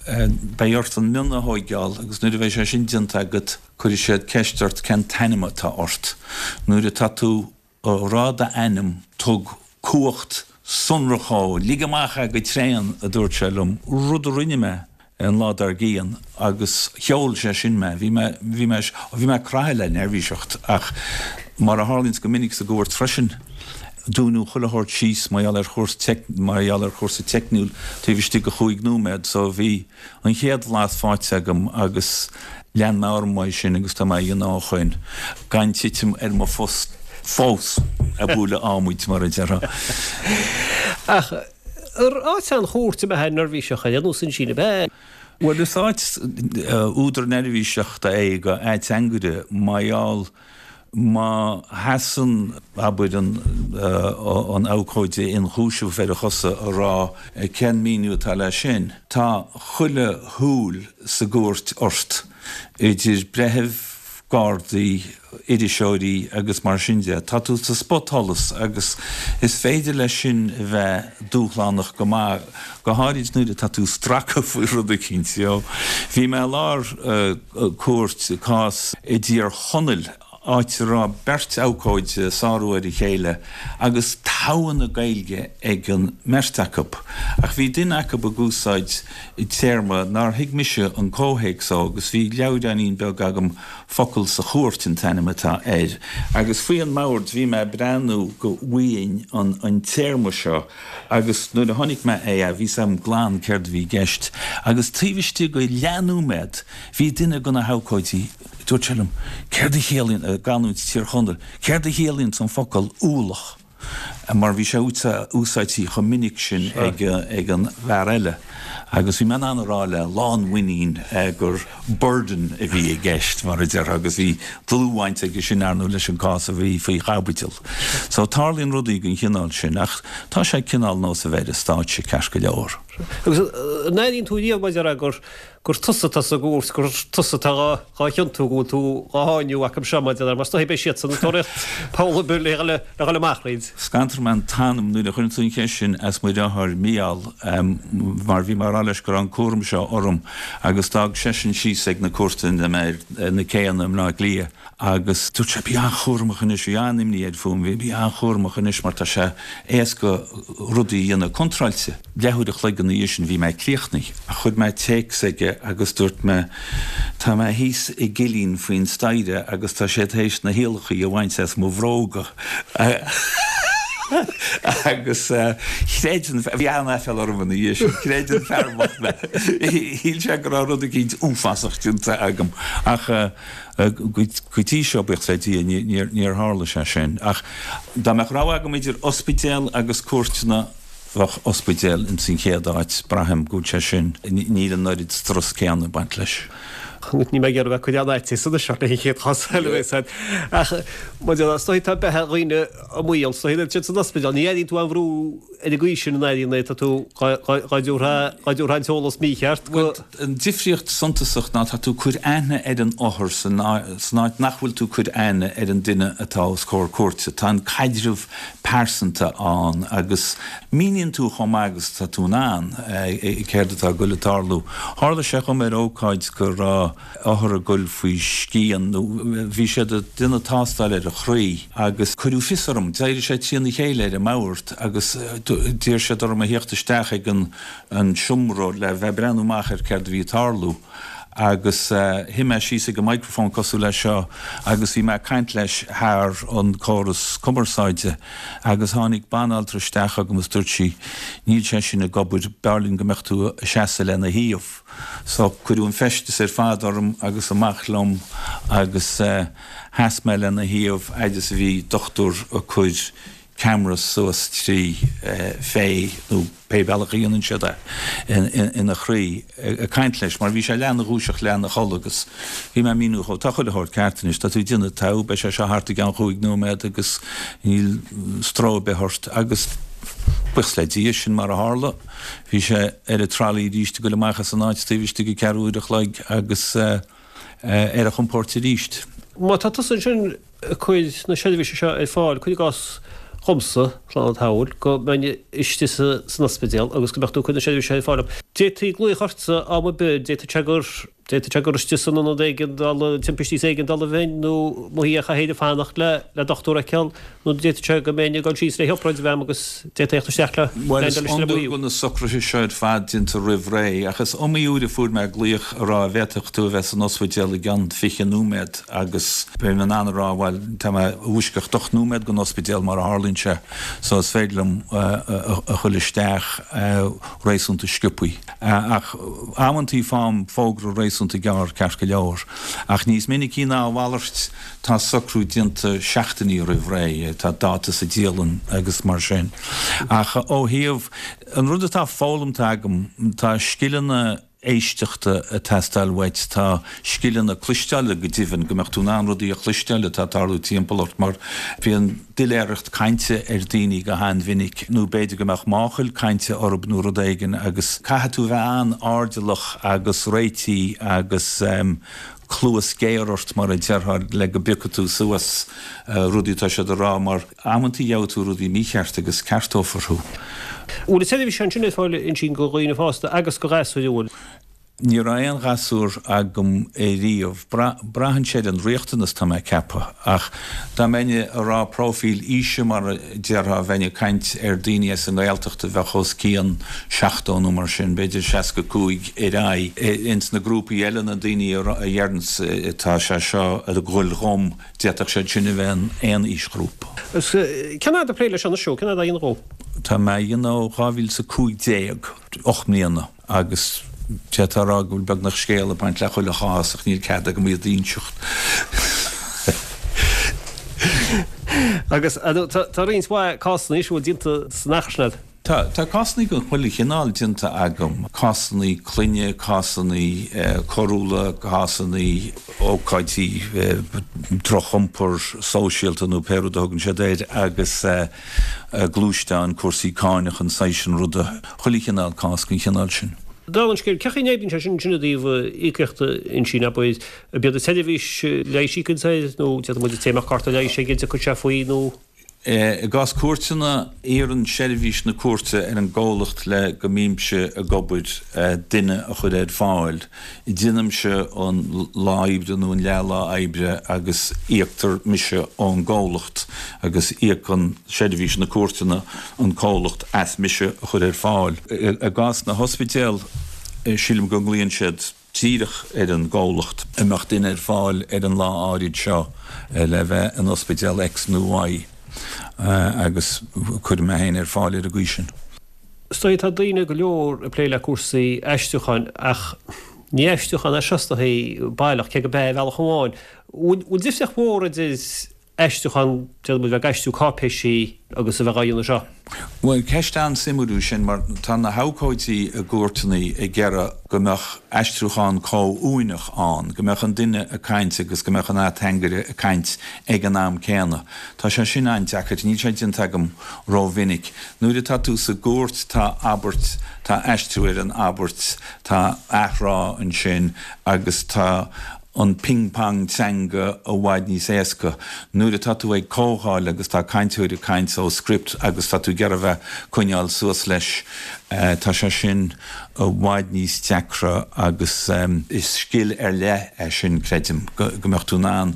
S4: beidh ort an mionn a thóigeáil agus nuair a bheidh sé sin déanta agat cuirfidh siad ceist ort cén t-ainm atá ort. Nuair atá tú a rá d'ainm tug cumhacht sonrach dhó, lig amach é go tréan, a dúirt sé liom, rud a rinne mé. an lá dár gcionn agus sheol sé sin mé. Bhí mé, bhí mé, bhí mé craithe le neirbhíseacht ach mar a tharlaíonns go minic sa gcúirt freisin, dúnadh chuile shórt síos mar gheall ar chúrsa, mar gheall ar chúrsa teicniúil taobh istigh de chúig nóiméad so bhí an chéad bhlas faighte agam agus lean mé orm uaidh sin agus tá mé á dhéanamh ó shoin gan titim ar mo phost fós ag bualadh adhmaid mar a déarfá.
S1: Ach Ar áit an chúirt a mbeifeá neirbhíseach ar aon nós ansin, ab ea?
S4: Bhuel, is áit údar neirbhíseachta é do ateangaire mar gheall má sheasann, abair, an abhcóide ionchúisimh ar a chosa a rá cén míniú atá leis sin, tá chuile shúil sa gcúirt ort, idir breithimh, gardaí, iriseoirí agus mar sin de. Tá tú sa spotsholas agus is féidir leis sin a bheith dúshlánach go maith, go háirid nuair atá tú stractha faoi rud eicínt. Bhí mé i lár cúirt, cás i dTír Chonaill, áit a raibh beirt abhcóide ag sárú ar a chéile agus togha na Gaeilge ag an mbeirt acu. Ach bhí duine acu ag úsáid téarma nár thuig mise an comhthéacs dó agus bhí leabhráinín beag agam Focal sa Chúirt an t-ainm atá air, agus faoi an mbord bhí mé ag breathnú go bhfaighinn an téarma seo agus nuair a chonaic mé é bhí 's agam glan céard a bhí i gceist agus taobh istigh de leathnóiméad bhí duine de na habhcóidí, dúirt sé liom, céard a chiallaíonn, i gcanúint Tír Chonaill, céard a chiallaíonn an focal ualach? mar bhí sé úsáidte chomh minic sin ag an bhfear eile agus bhí mé in ann a rá le lánmhuinín gur burden a bhí i gceist, mar a déarfá, agus bhí dlúthbhaint aige sin, ar ndóigh, leis an gcás a bhí faoi chaibidil. So tarlaíonn rudaí den chineál sin ach tá sé cineál nós a bheith ar an stáitse ceart go leor.
S1: Agus an airíonn tú riamh, mar a déarfá, gur gur tusa atá sa gcúirt, gur tusa atá dhá chiontú, go bhfuil tú dhá sháinniú acu seo, mar a déarfá, mar is dóigh beidh siadsan ag tóraíocht poll ar bith le dhul amach thríd.
S4: Scantraigh mé an t-anam nuair a chuir tú an cheist sin as mo dheartháir Mícheál, mar bhí mé ag rá leis go raibh an cúram seo orm agus d'fhág seisean síos ag na cúirteanna mé ar na céanna i mBleá Cliath agus dúirt sé, bí an-chúramach anois, bhí an-imní air fúm, bhí, bí an-chúramach anois mar tá sé éasca rudaí a dhéanamh contráilte. Leathuair a chloig ina dhiaidh sin bhí mé críochnaithe. Chuir mé téacs aige agus dúirt mé, Tá mé thíos i gcillín faoin staighre agus tá siad théis na hiallachaí a bhaint as mo bhróga. Agus chreid an, bhí an-aiféala orm ina dhiaidh sin, chreid an fear bocht mé. Shíl sé go raibh rud eicínt uafásach déanta agam. Ach go dtí seo, buíochas le Dia, níor tharla sé sin. Ach dá mbeadh rogha agam idir ospidéal agus cúirteanna, Bheadh ospidéal ins an chéad áit, braithim go bhfuil sé sin, níl an oiread strus céanna ag baint leis.
S1: Níl mé ag iarraidh bheith ag cur aon fhaitíos anois ort leis an chéad chás eile a bheas agat. Ach maidir le, is dóigh tá beatha dhaoine i mbaol, is dóigh iad siad san ospidéal, ní airíonn tú aon bhrú ar an gcaoi sin an airíonn é, tá tú, dhá dtabharfá an t-eolas mícheart
S4: go. An difríocht suntasach ná tá tú ag cur aithne ar an othar san áit nach bhfuil tú ag cur aithne ar an duine atá os comhair cúirte. Tá an caidreamh pearsanta ann agus míníonn tú chomh maith agus atá tú in ann céard atá ag goil ag tarlú. Tharla sé dhom ar ócáid go raibh othar ag goil faoi scian nó bhí siad ag déanamh tástáil ar a chroí agus cuireadh fios orm, d'éirigh sé trína chéile ar an mbord agus d'iarr siad orm a thíocht isteach ag an an seomra le bheith ag breathnú amach ar céard a bhí ag tarlú agus shuigh mé síos ag an microphone cosúil leis seo agus bhí mé ag caint leis thar an córas cumarsáide agus tháinig banaltra isteach chugam agus dúirt sí níl sé sin ag obair, b'fhearr linn go mbeadh tú ag seasamh lena thaobh. So cuireadh an feisteas ar fad orm agus amach liom agus sheas mé lena thaobh fhad is a bhí dochtúir ag cur ceamara suas trí fé nó pé bealach a dhéanann siad é ina chroí ag caint leis mar bhí sé leath ina dhúiseacht leath ina chodladh agus bhí mé ag míniú dhó tá chuile shórt ceart anois tá tú ag déanamh togha beidh sé seo thart i gceann chúig nóiméad agus níl stró ar bith ort agus buíochas le Dia sin mar a tharla bhí sé ar an trolley arís ag goil amach as an áit taobh istigh de ceathrú uair a chloig agus ar a chompóirt arís.
S1: Má tá tusa ansin ag cur na seirbhíse seo ar fáil, cuir i gcás dhomsa, slán an tsamhail, go mbeinn istigh san ospidéal agus go mbeadh tú ag cur na seirbhíse seo ar fáil dom. D'fhéadfaí glaoch ortsa am ar bith, d'fhéadfadh sé gur, d'fhéadfadh sé gur istigh san ionad éigeandála, timpistí is éigeandála a bheinn nó amuigh ar chathaoir ag fanacht le le dochtúir a fheiceáil nó d'fhéadfadh sé go mbeinn ag dul síos le hobráid a bheith agam agus d'fhéadfaí theacht isteach le
S4: Bhuel, is iondúil go bhfuil na socruithe seo ar fad déanta roimh ré, ach is iomaí uair a fuair mé glaoch a rá an bhféadfadh tú a bheith san ospidéal i gceann 20 nóiméad. agus bheinn in ann a rá, bhuel, tá mé i bhfoisceacht 8 nóiméad den ospidéal mar a tharlaíonn sé, so is féidir liom a ghoil isteach réasúnta sciobthaí. Ach amantaí faighim fógra réasúnta gearr ceart go leor. Ach níos minicí ná a mhalairt tá socrú déanta seachtainí roimh ré, tá dáta sa dialann agus mar sin. Ach ó thaobh, an rud atá foghlamta agam, tá scileanna, éisteachta ag teastáil uait, tá scileanna cloisteála go deimhin, go mbeadh tú in ann rudaí a chloisteáil atá ag tarlú timpeall ort mar bíonn doiléireacht cainte ar daoine go han-mhinic nó b'fhéidir go mbeadh máchail cainte orthu nó rud éigin agus caithfidh tú a bheith an-airdeallach agus réitithe agus cluas ghéar ort mar a déarfá le go bpiocfaidh tú suas rudaí atá siad a rá mar amantaí gheobhaidh tú rudaí mícheart agus ceartófar thú.
S1: Bhfuil an tseirbhís ansin ar fáil ansin do dhaoine fásta agus do ghasúir, an bhfuil?
S4: Ní raibh aon ghasúr agam ariamh. Braitheann sé ar an riachtanas, tá mé ag ceapadh. Ach dá mbeinn ag rá próifíl aoise mar a déarfá, bheinn ag caint ar daoine as an nGaeltacht a bheadh os cionn 70 nó mar sin, b'fhéidir 65 ar aghaidh. Ins na grúpaí eile, na daoine a dheireanns tá sé seo ag goil dhom, D'fhéadfadh siad sin a bheith in aon aoisghrúpa.
S1: Cén fhad ag plé leis anois? Cén fhad á dhéanamh?
S4: Tá mé á dhéanamh ó 2015, 8 mbliana, agus d'fhéadfá a rá go bhfuil beagnach scéal ag baint le chuile chás ach níl cead agam iad a inseacht.
S1: Agus tá roinnt mhaith cásanna anois a bhfuil déanta san achar sin agat.
S4: Tá, tá cásanna den chuile chineál déanta agam, cásanna clainne, cásanna coiriúla, cásanna ócáidí drochiompar sóisialta nó pé rud a thugann siad air agus gluaisteáin, cúrsaí cáinach, an saghas sin ruda, chuile chineál cás den chineál sin.
S1: Dála an scéil, cén chaoi a n-oibríonn sé sin sin i dtaobh íocaíochta ansin, abair, ab iad an tseirbhís leighis a íocann air nó d'fhéadfadh muid an té a mbeadh cárta leighis aige an dtiocfadh sé faoi nó.
S4: I gcás cúirteanna, iarrann seirbhís na cúirte ar an gcomhlacht le go mbímse ag obair duine a chur ar fáil. Déanaimse an lá oibre nó an leath lá oibre agus íoctar mise ón gcomhlacht agus íocann seirbhís na cúirteanna an comhlacht as mise a chur ar fáil. I gcás na hospidéal, sílim go nglaonn siad. díreach ar an gcomhlacht an mbeadh duine ar fáil ar an lá áirid seo le bheith in ospidéal X nó Y agus cuirim mé féin ar fáil ar an gcaoi sin.
S1: Is dóigh tá daoine go leor ag plé le cúrsaí aistriúcháin ach ní aistriúchán é seo is dóigh baileach, cé go b'ea ar bhealach amháin. Bhfuil difríocht mhór idir. Aistriúchán, déarfaidh muid, bheith ag aistriú cáipéisí agus a bheith á dhéanamh seo.
S4: Bhuel, ceist an-suimiúil í sin mar tá na habhcóidí i gcúirteanna ag iarraidh go mbeadh aistriúchán comhuaineach ann, go mbeadh an duine ag caint agus go mbeadh an ateangaire ag caint ag an am céanna. Tá sé sin an-deacair, níl sé déanta agam rómhinic. Nuair atá tú sa gcúirt tá abairt, tá aistriú ar an abairt, tá athrá ansin agus tá an ping pong teanga i bhfad níos éasca. Nuair atá tú ag comhdháil agus tá cainteoir ag caint ó script agus tá tú ag iarraidh a bheith coinneáil suas leis, tá sé sin i bhfad níos deacra agus is scil ar leith é sin, creidim, go mbeadh tú in ann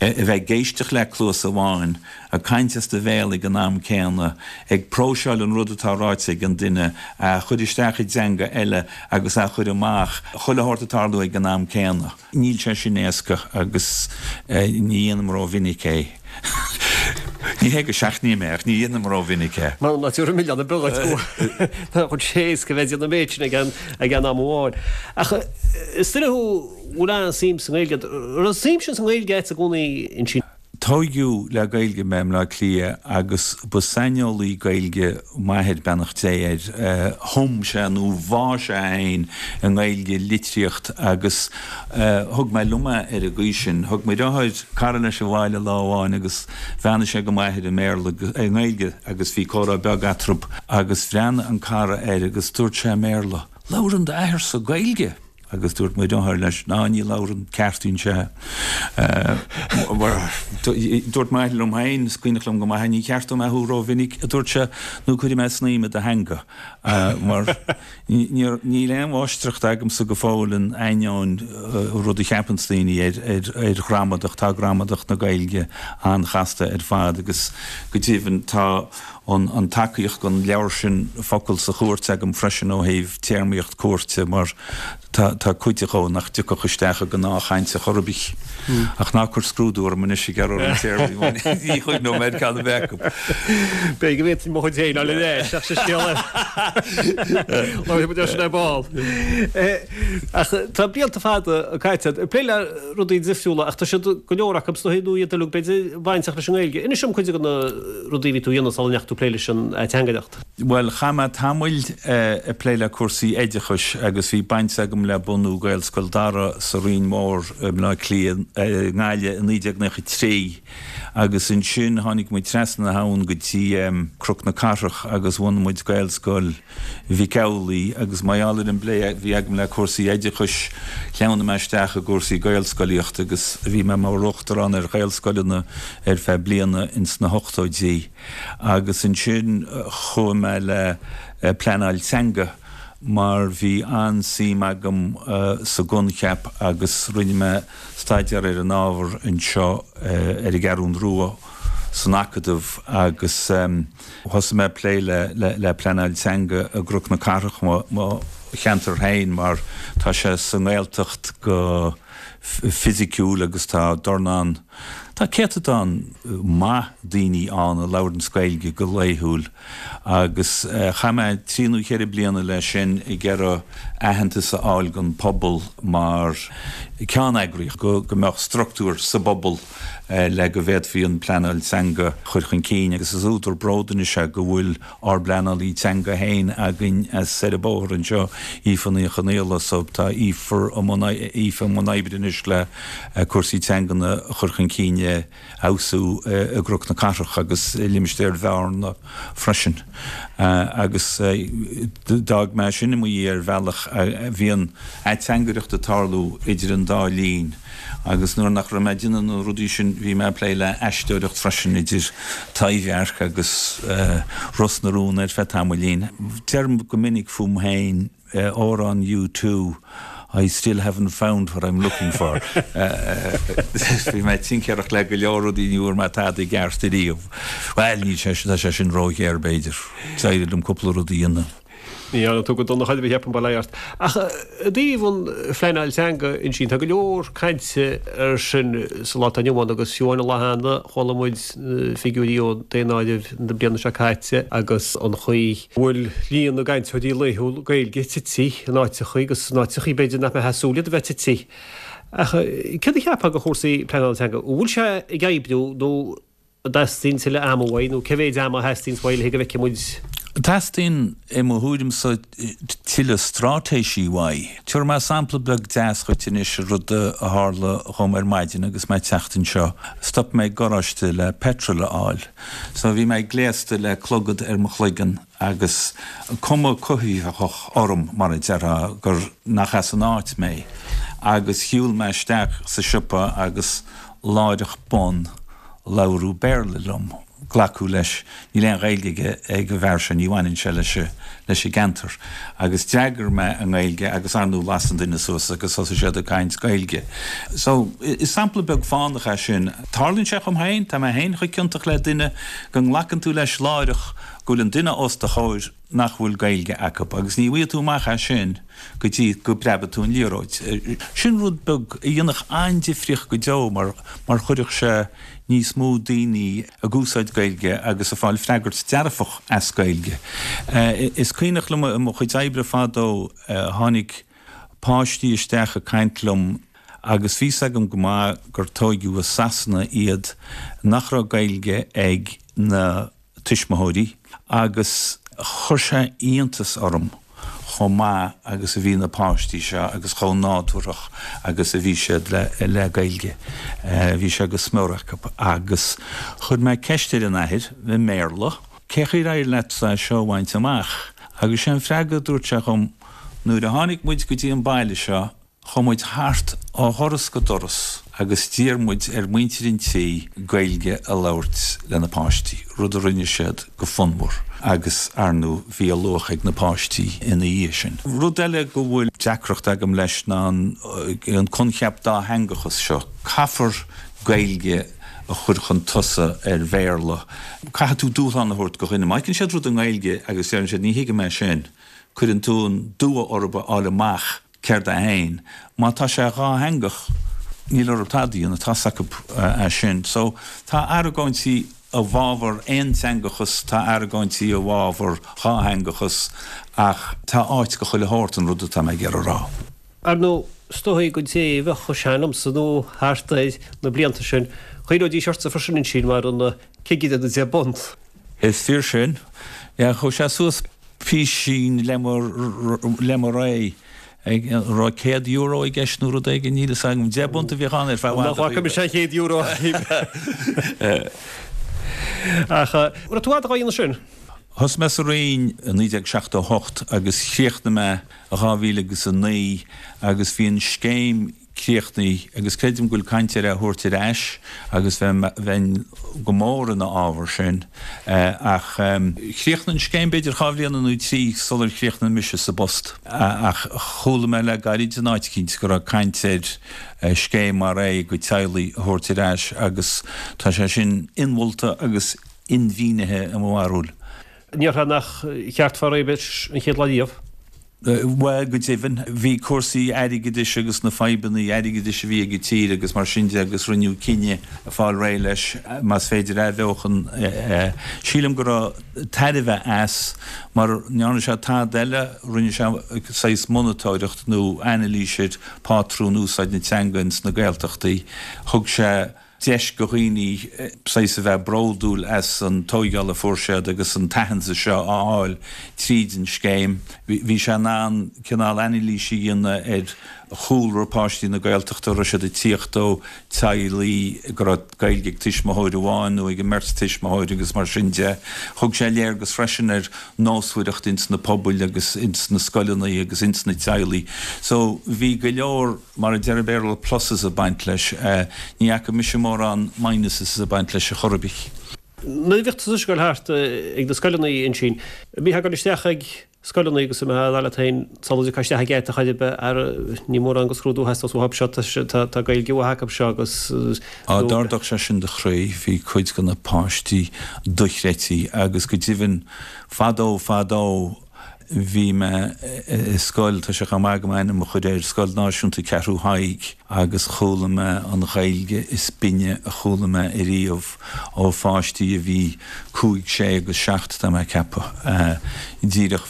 S4: a bheith ag éisteacht le cluas amháin, ag caint as do bhéal ag an am céanna, ag próiseáil an rud atá ráite ag an duine, a chur isteach i dteanga eile agus a chur amach, chuile shórt ag tarlú ag an am céanna. Níl sé sin éasca agus ní dhéanaim rómhinic é. Ní hé go seachnaím é ach ní dhéanaim rómhinic é.
S1: Mar ná tabhair an milleán ar bith dhuit go nach bhfuil sé éasca bheith ag déanamh an méid sin ag an am amháin. Ach is duine thú a bhfuil an-suim sa nGaeilge. An raibh suim sin sa nGaeilge agat i gcónaí ansin?
S4: Tóigeadh le Gaeilge mé i mBleá Cliath agus ba saineolaí Gaeilge m'athair, beannacht Dé air. Thum sé nó bhá sé féin i nGaeilge, litríocht agus thug mé liom é ar an gcaoi sin. Thug mo dheartháir cara leis abhaile lá amháin agus bheannaigh sé go m'athair i mBéarla, i nGaeilge agus bhí comhrá beag eatarthu agus bhreathnaigh an cara air agus dúirt sé i mBéarla, Labhrann d'athair-sa Gaeilge! Agus dúirt mo dheartháir leis, Ná ní labhrann, ceartaíonn sé. Dúirt m'athair liom féin, is cuimhneach liom go maith é, ní cheartóidh mé thú rómhinic, a dúirt sé, nó cuirfidh mé snaidhm i do theanga. Mar níl aon mháistreacht agamsa go fóill in ainneoin rud a cheapanns daoine ar ghramadach, tá gramadach na Gaeilge an-chasta ar fad agus go deimhin tá an tacaíocht don leabhar sin Focal sa Chúirt agam freisin ó thaobh téarmaíocht cúirte mar tá cuid dhó nach dtiocfadh isteach i ngnáthchaint ar chor ar bith. Ach ná cuir scrúdú orm anois ag iarraidh orm téarmaí mar ní chuimhneoidh mé ar ceann ar bith acu.
S1: B'fhéidir go bhféadfainn mo chuid féin a fháil ar ais ach sin scéal eile. Labharfaidh muid air sin ar ball. Ach tá blianta fada caite ag plé le rudaí difriúla ach tá siad, go leor acu, is dóigh, nó iad uilig, b'fhéidir, bainteach leis an nGaeilge. Inis dom cuid de na rudaí a bhí tú a dhéanamh sula ndeachaigh tú ag plé leis an ateangaireacht.
S4: Bhuel, chaith mé tamaill ag plé le cúrsaí oideachais agus bhí baint agam le bunú Gaelscoil Dara sa Rinn Mhór i mBleá Cliath, i nGaillimh i 1993 agus ansin tháinig muid trasna na habhann go dtí Cnoc na Cathrach agus bhunaigh muid Gaelscoil Mhic Amhlaigh agus mar gheall ar an bplé a bhí agam le cúrsaí oideachais, shleamhnaigh mé isteach i gcúrsaí Gaelscolaíochta agus bhí mé mar uachtarán ar Ghaelscoileanna ar feadh bliana ins na hochtóidí agus ansin chuaigh mé le pleanáil teanga mar bhí an-suim agam sa gcoincheap agus rinne mé staidéar ar an ábhar anseo ar an gCeathrún Rua san Acadamh agus Thosaigh mé ag plé le pleanáil teanga i gCnoc na Cathrach, mo cheantar féin, mar tá sé sa nGaeltacht go fisiciúil agus tá dornán, tá céatadán maith daoine ann a labhranns Gaeilge go laethúil agus chaith mé trí nó cheithre bliana leis sin ag iarraidh aitheantas a fháil don phobal mar ceanneagraíocht, go mbeadh structúr sa bpobal. le go bhféadfaí an pleanáil teanga a chur chun cinn agus is údar bróid anois é go bhfuil ár bpleanálaí teanga féin againn as ar an bóthar anseo, Aoife Ní Chonaola, so tá Aoife i mbun Aoife i mbun oibre anois le cúrsaí teangan a chur chun cinn a fheabhsú i gCnoc na Cathrach agus i limistéar Bhearna freisin. Agus d'fhág mé sin i mo dhiaidh ar bhealach, bhí an ateangaireacht ag tarlú idir an dá linn. Agus nuair nach raibh mé ag déanamh na rudaí sin bhí mé ag plé le aisteoireacht freisin idir Taibhdhearc agus Ros na Rún ar feadh tamaillín. Deirim go minic fúm féin, amhrán U2, I still haven't found what I'm looking for. Bhí mé ag tincéireacht le go leor rudaí ní bhfuair mé tada i gceart ariamh. Bhuel, níl sé, tá sé sin róghéar b'fhéidir. D'éirigh liom cúpla rud a dhéanamh.
S1: Ní dhearna tú go dona chor ar bith, cheapfainn, bail ó Dhia ort. Ach i dtaobh an phleanáil teanga ansin, tá go leor cainte air sin sa lá atá inniu ann agus fiú amháin an lá cheana chuala muid na figiúirí ó daonáireamh na bliana seo caite agus an chaoi a bhfuil líon na gcainteoirí laethúil Gaeilge tite in áiteachaí agus in áiteachaí b'fhéidir nach mbeifeá ag súil iad a bheith tite. Ach céard a cheapfá de chúrsaí pleanála teanga? An bhfuil sé ag oibriú nó an dteastaíonn tuilleadh ama uaidh nó cé mhéid ama a theastaíonns uaidh le go bhfeicfidh muid?
S4: Teastaíonn, i mo thuairimse, tuilleadh straitéisí uaidh. Tabharfaidh mé sampla beag deas dhuit anois, rud a tharla dhom ar maidin agus mé ag teacht anseo. Stop mé ag garáiste le petrol a fháil. So bhí mé gléasta le clogad ar mo chloigeann agus cuma cothaitheach orm, mar a déarfá, gur nach as an áit mé. Agus shiúil mé isteach sa siopa agus láithreach bonn labhradh Béarla liom. Glacadh leis, níl aon Ghaeilge aige ag an bhfear seo, ní bhaineann sé leis leis an gceantar. Agus d'fhreagair mé i nGaeilge agus ar ndóigh las an duine suas agus thosaigh siad ag caint Gaeilge. So, is sampla beag fánach é sin. Tarlaíonn sé dhom féin, tá mé féin chomh ciontach le duine go nglacann tú leis láithreach go bhfuil an duine os do chomhair nach bhfuil Gaeilge acu agus ní bhfaighidh tú amach é sin go dtí go bpreabfaidh tú an liathróid. Sin rud beag a dhéanfadh an-difríocht go deo mar mar chuirfeadh sé níos mó daoine ag úsáid Gaeilge agus ag fáil freagairt dearfach as Gaeilge. Is cuimhneach liom i mo chuid oibre fadó tháinig páistí isteach ag caint liom agus bhí 's agam go maith gur tóigeadh i Sasana iad nach raibh Gaeilge ag na tuismitheoirí agus chuir sé iontas orm chomh maith agus a bhí na páistí seo agus chomh nádúrthach agus a bhí siad le Gaeilge. Bhí sé go smior acu agus chuir mé ceist ar an athair i mBéarla, cé chaoi ar éirigh leatsa é seo a bhaint amach? Agus sé an freagra a dúirt sé dhom, nuair a tháinig muid go dtí an baile seo, Chuaigh muid thart ó dhoras go doras agus d'iarr muid ar mhuintir an tí Gaeilge a labhairt le na páistí, rud a rinne siad go fonnmhar agus, ar ndóigh, bhí a luach ag na páistí ina dhiaidh sin. Rud eile go bhfuil deacracht agam leis ná an coincheap dátheangachas seo. Caithfear Gaeilge a chur chun tosaigh ar Bhéarla. Caithfidh tú dúshlán a thabhairt do dhuine. Má fheiceann siad rud i nGaeilge agus deireann siad ní thuigim é sin, cuireann tú an dua orthu a fháil amach Céard é fhéin? Má tá sé dhátheangach, níl orthu tada a dhéanamh, tá's acu é sin. So, tá argóintí i bhfabhar aonteangachas, tá argóintí i bhfabhar dhátheangachas, ach tá áit go chuile shórt, an rud atá mé ag iarraidh a rá.
S1: Ar ndóigh, is dóigh don té a bheadh chomh sean liomsa nó thart air na blianta sin, chuimhneoidís ortsa freisin ansin mar an cigire na deich bpunt.
S4: Is fíor sin. Yeah, chuaigh sé suas písín le mo, le mo ré. An raibh €100 i gceist nó rud éigin, níl fhios agam. £10 a bhíodh ann ar feadh i bhfad.
S1: Nach bhfaca mise an €100 Ach an raibh tú fhad á dhéanamh sin?
S4: Thosaigh mé sa Roinn i 1978 agus chríochnaigh mé i 2009 agus bhí an scéim críochnaithe agus creidim go bhfuil caint ar é a thabhairt ar ais agus bheinn go mór ina fhábhar sin ach chríochnaigh an scéim b'fhéidir dhá bhliana nó trí sular chríochnaigh mise sa bpost ach chuala mé le gairid in áit eicínt go raibh caint ar scéim mar é go teaghlaigh a thabhairt ar ais agus tá sé sin inmholta agus inmhínithe i mo bharúil.
S1: An ndéarfá nach cheart fáil réidh leis an chéad lá riamh?
S4: Bhuel, go deimhin, bhí cúrsaí airgeadais agus na fadhbanna airgeadais a bhí ag an tír agus mar sin de agus rinneadh cinneadh fáil réidh leis, más féidir athbheochan. Sílim go raibh tairbhe as mar ní dhearna sé tada eile, rinne sé saghas monatóireacht nó anailís ar phátrún úsáid na teanga ins na Gaeltachtaí. Thug sé. deis go dhaoine saghas a bheith bródúil as an tóigeáil a fuair siad agus an t-aitheantas seo a fháil tríd an scéim. Bhí sé in ann cineál anailís a dhéanamh ar chúlra páistí na Gaeltachta, an raibh siad ag tíocht ó teaghlaigh go raibh Gaeilge ag tuismitheoir amháin nó ag an mbeirt tuismitheoir agus mar sin de. Thug sé léargas freisin ar nósmhaireacht ins na pobail agus ins na scoileanna agus ins na teaghlaigh. So bhí go leor. Mar a deir an Béarla pluses ag baint leis. Ní fhaca mise mórán minuses ag baint leis ar chor ar bith.
S1: Nuair a bhíodh tusa ag gabháil thart ag na scoileanna ansin, an mbítheá ag dul isteach ag scoileanna agus an mbeifeá ag rá leat féin sula dtiocfá isteach an geata chor ar bith, ara ní mórán de scrúdú a theastós uathu seo, tá Gaeilge mhaith acu seo agus.
S4: Á, d'ardódh sé sin do chroí, bhí cuid de na páistí dochreidte agus go deimhin fadó fadó. Bhí mé i scoil, tá sé chomh maith agam ainm a chur air, Scoil Náisiúnta Cheathrú Thaidhg, agus chuala mé an Ghaeilge is binne a chuala mé ariamh ó pháistí a bhí cúig, sé agus seacht, tá mé ag ceapadh. Díreach,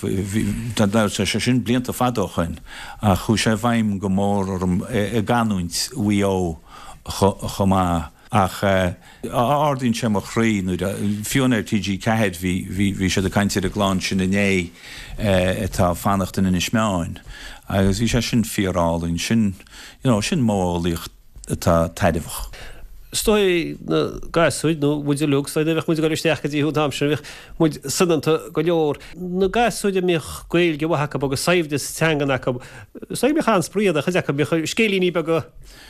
S4: tá sé sin blianta fada ó shoin, ach chuaigh sé i bhfeidhm go mór orm i gcanúint Mhaigh Eo chomh maith. Ach ardaíonn sé mo chroí nuair a, fiú ar TG4 bhí, bhí, bhí siad ag caint ar an gclann sin inné atá ag fanacht in Inis Meáin agus bhí sé sin fíor-álainn, sin, you know, sin modheolaíocht atá tairbheach.
S1: Is dóigh na gasúir, nó muid uilig, is dóigh nuair a bheadh muid ag dul isteach go dtí thú an t-am sin, bheadh muid soineanta go leor. Na gasúir a mbíodh Gaeilge mhaith acu agus saibhreas teangan acu, is dóigh go mbíodh an-spraoi iad, chuid acu, bhíodh scéilíní beaga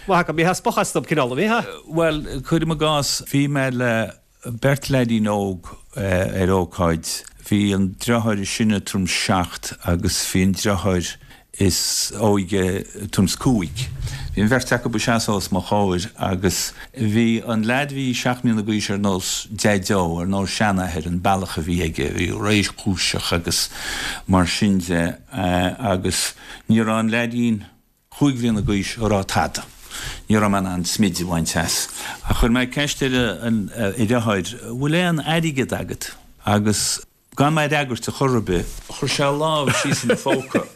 S1: Maith acu, bhítheá spochadh astu, cineál, an mbítheá?
S4: Bhuel, cuirim i gcás, bhí mé le beirt leaidín óg ar ócáid. Bhí an deartháir is sine tuairim 's seacht agus bhí an deartháir is óige tuairim 's cúig. Bhí an bheirt acu ag seasamh os mo chomhair agus bhí an leaid a bhí seacht mbliana d'aois ar nós deaideo, ar nós seanathair, an bealach a bhí aige, bhí réchúiseach agus mar sin de agus ní raibh an leaidín chúig bhliana d'aois ag rá tada. Ní raibh mé in ann smid a bhaint as. Ach chuir mé ceist ar an dheartháir, bhfuil aon airgead agat? Agus gan mé a fhreagairt ar chor ar bith, chuir sé a lámh síos ina phóca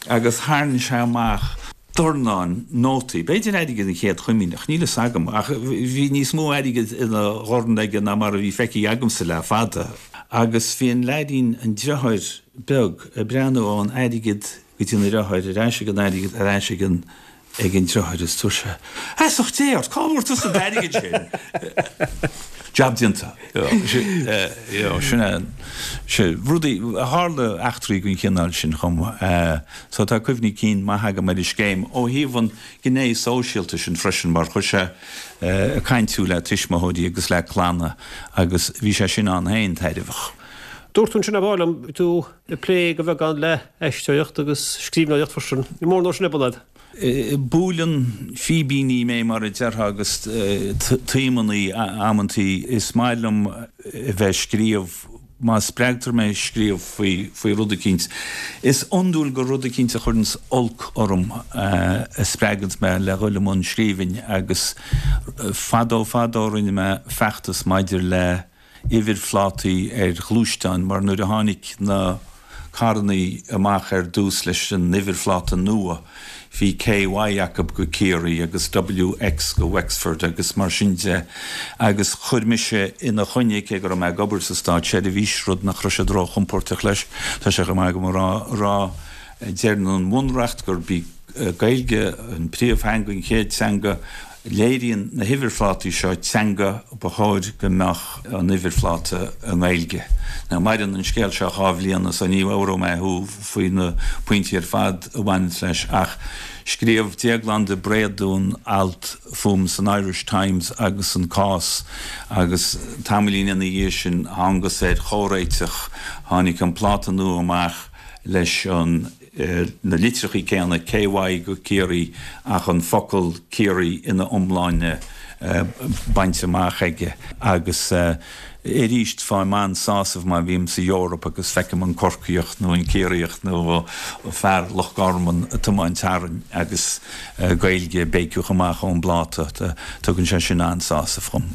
S4: agus tharraing sé amach dornán nótaí, b'fhéidir airgead an Chéad Chomaoineach, níl fhios agam, ach bhí níos mó airgid ina dhorn aige ná mar a bhí feicthe agamsa le fada. Agus bhí an leaidín, an deartháir beag, ag breathnú ón airgead go dtí an deartháir, ar ais ag an airgead, ar ais ag an ag an deartháir is dúirt sé, Feasacht Dé ort, cá bhfuair tusa an t-airgead sin? Jab déanta. Sin é, sin rudaí, tharla eachtraí den chineál sin chomh maith. So tá cuimhní cinn maith agam ar an scéim ó thaobh an gné sóisialta sin freisin mar chuir sé ag caint thú le tuismitheoirí agus le clanna agus bhí sé sin ann féin tairbheach.
S1: Dúirt tú ansin ar ball liom, bhí tú ag plé de bheagán le haisteoireacht agus scríbhneoireacht freisin. Ní mór nó sin é Bernard.
S4: Buaileann fíbíní mé mar a déarfá agus taomannaí amantaí. Is maith liom a bheith ag scríobh má spreagtar mé scríobh faoi faoi rud eicínt. Is iondúil gur rud eicínt a chuireanns olc orm a spreaganns mé le dhul i mbun scríbhinn agus fadó fadó rinne mé feachtas maidir le uimhirphlátaí ar ghluaisteáin mar nuair a tháinig na carrannaí amach ar dtús leis an uimhirphláta nua bhí KY acu go Ciarraí agus WX go Wexford agus mar sin de agus chuir mise ina choinne, cé go raibh mé ag obair sa státseirbhís, rud nach raibh siad róchompordach leis, tá sé chomh maith agam a rá, rá deireann an Bhunreacht gurb í Gaeilge an príomhtheanga, an chéad teanga. Léiríonn na huimhirphlátaí seo teanga, ba chóir go mbeadh an uimhirphláta i nGaeilge. Now maireann an scéal seo dhá bhliana so ní mheabhróidh mé thú faoi na pointí ar fad a bhaineanns leis ach scríobh Déaglán de Bréadún alt fúm san Irish Times agus an cás agus tamaillín ina dhiaidh sin thángas ar chomhréiteach, tháinig an pláta nua amach leis an. na litreachaí céanna, KY go Ciarraí ach an focal Ciarraí ina iomláine bainte amach aige. Agus arís faighim an-sásamh má bhím sa Eoraip agus feicim an Corcaíoch nó an Ciarraíoch nó fear Loch Garman ag tiomáint tharainn agus Gaeilge ag béiceadh amach ón bpláta. Tugann sé sin an-sásamh dhom.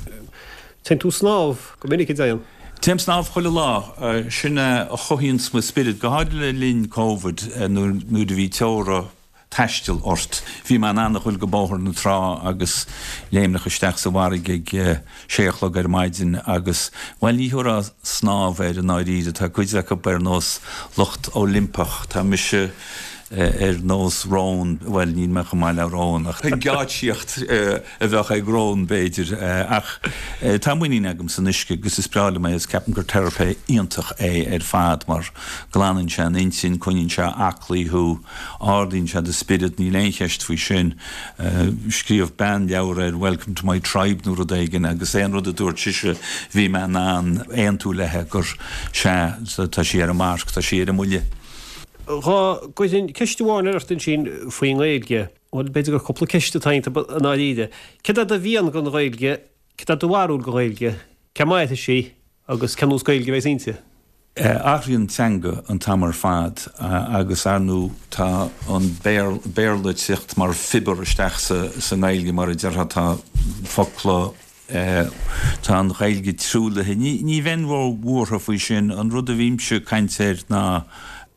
S1: Téann tú snámh go minic, a Déan?
S4: Téim snámh chuile lá. Sin é a chothaíonns mo spiorad, go háirid le linn Covid nuair a bhí teora taistil ort. Bhí mé in ann a ghoil go Bóthar na Trá agus léimneach isteach sa bhfarraige ag sé a chlog ar maidin agus, bhuel, ní thabharfá snámh air i ndáiríre. Tá cuid acu ar nós lucht Oilimpeach. Tá mise ar nós rón, bhuel, níl mé chomh maith le rón ach an geáitsíocht a bheadh ag rón, b'fhéidir. Ach tá muinín agam san uisce agus is breá liom é agus ceapaim gur teiripe iontach é ar fad mar glanann sé an intinn, coinníonn sé aclaí thú, ardaíonn sé do spiorad, níl aon cheist faoi sin. Scríobh bean leabhar ar Welcome to my tribe nó rud éigin agus aon rud a dúirt sise bhí mé in ann aontú léi gur sea, tá sí ar an marc, tá sí ar an mbuille.
S1: Dhá gcuirfinn ceist amháin ort ansin faoin nGaeilge. Bhuel, b'fhéidir gur cúpla ceist atá iontu i ndáiríre. Céard é do mhian don Ghaeilge? Céard é do bharúil don Ghaeilge? Cé mairfidh sí agus cén nós Gaeilge a bheas inti?
S4: Athraíonn teanga an t-am ar fad agus ar ndú tá an Béarla ag teacht mar phiobar isteach sa nGaeilge mar a déarfá, tá focla, tá an Ghaeilge truaillithe. Ní bheinn ró-bhuartha faoi sin, an rud a bhímse ag caint air ná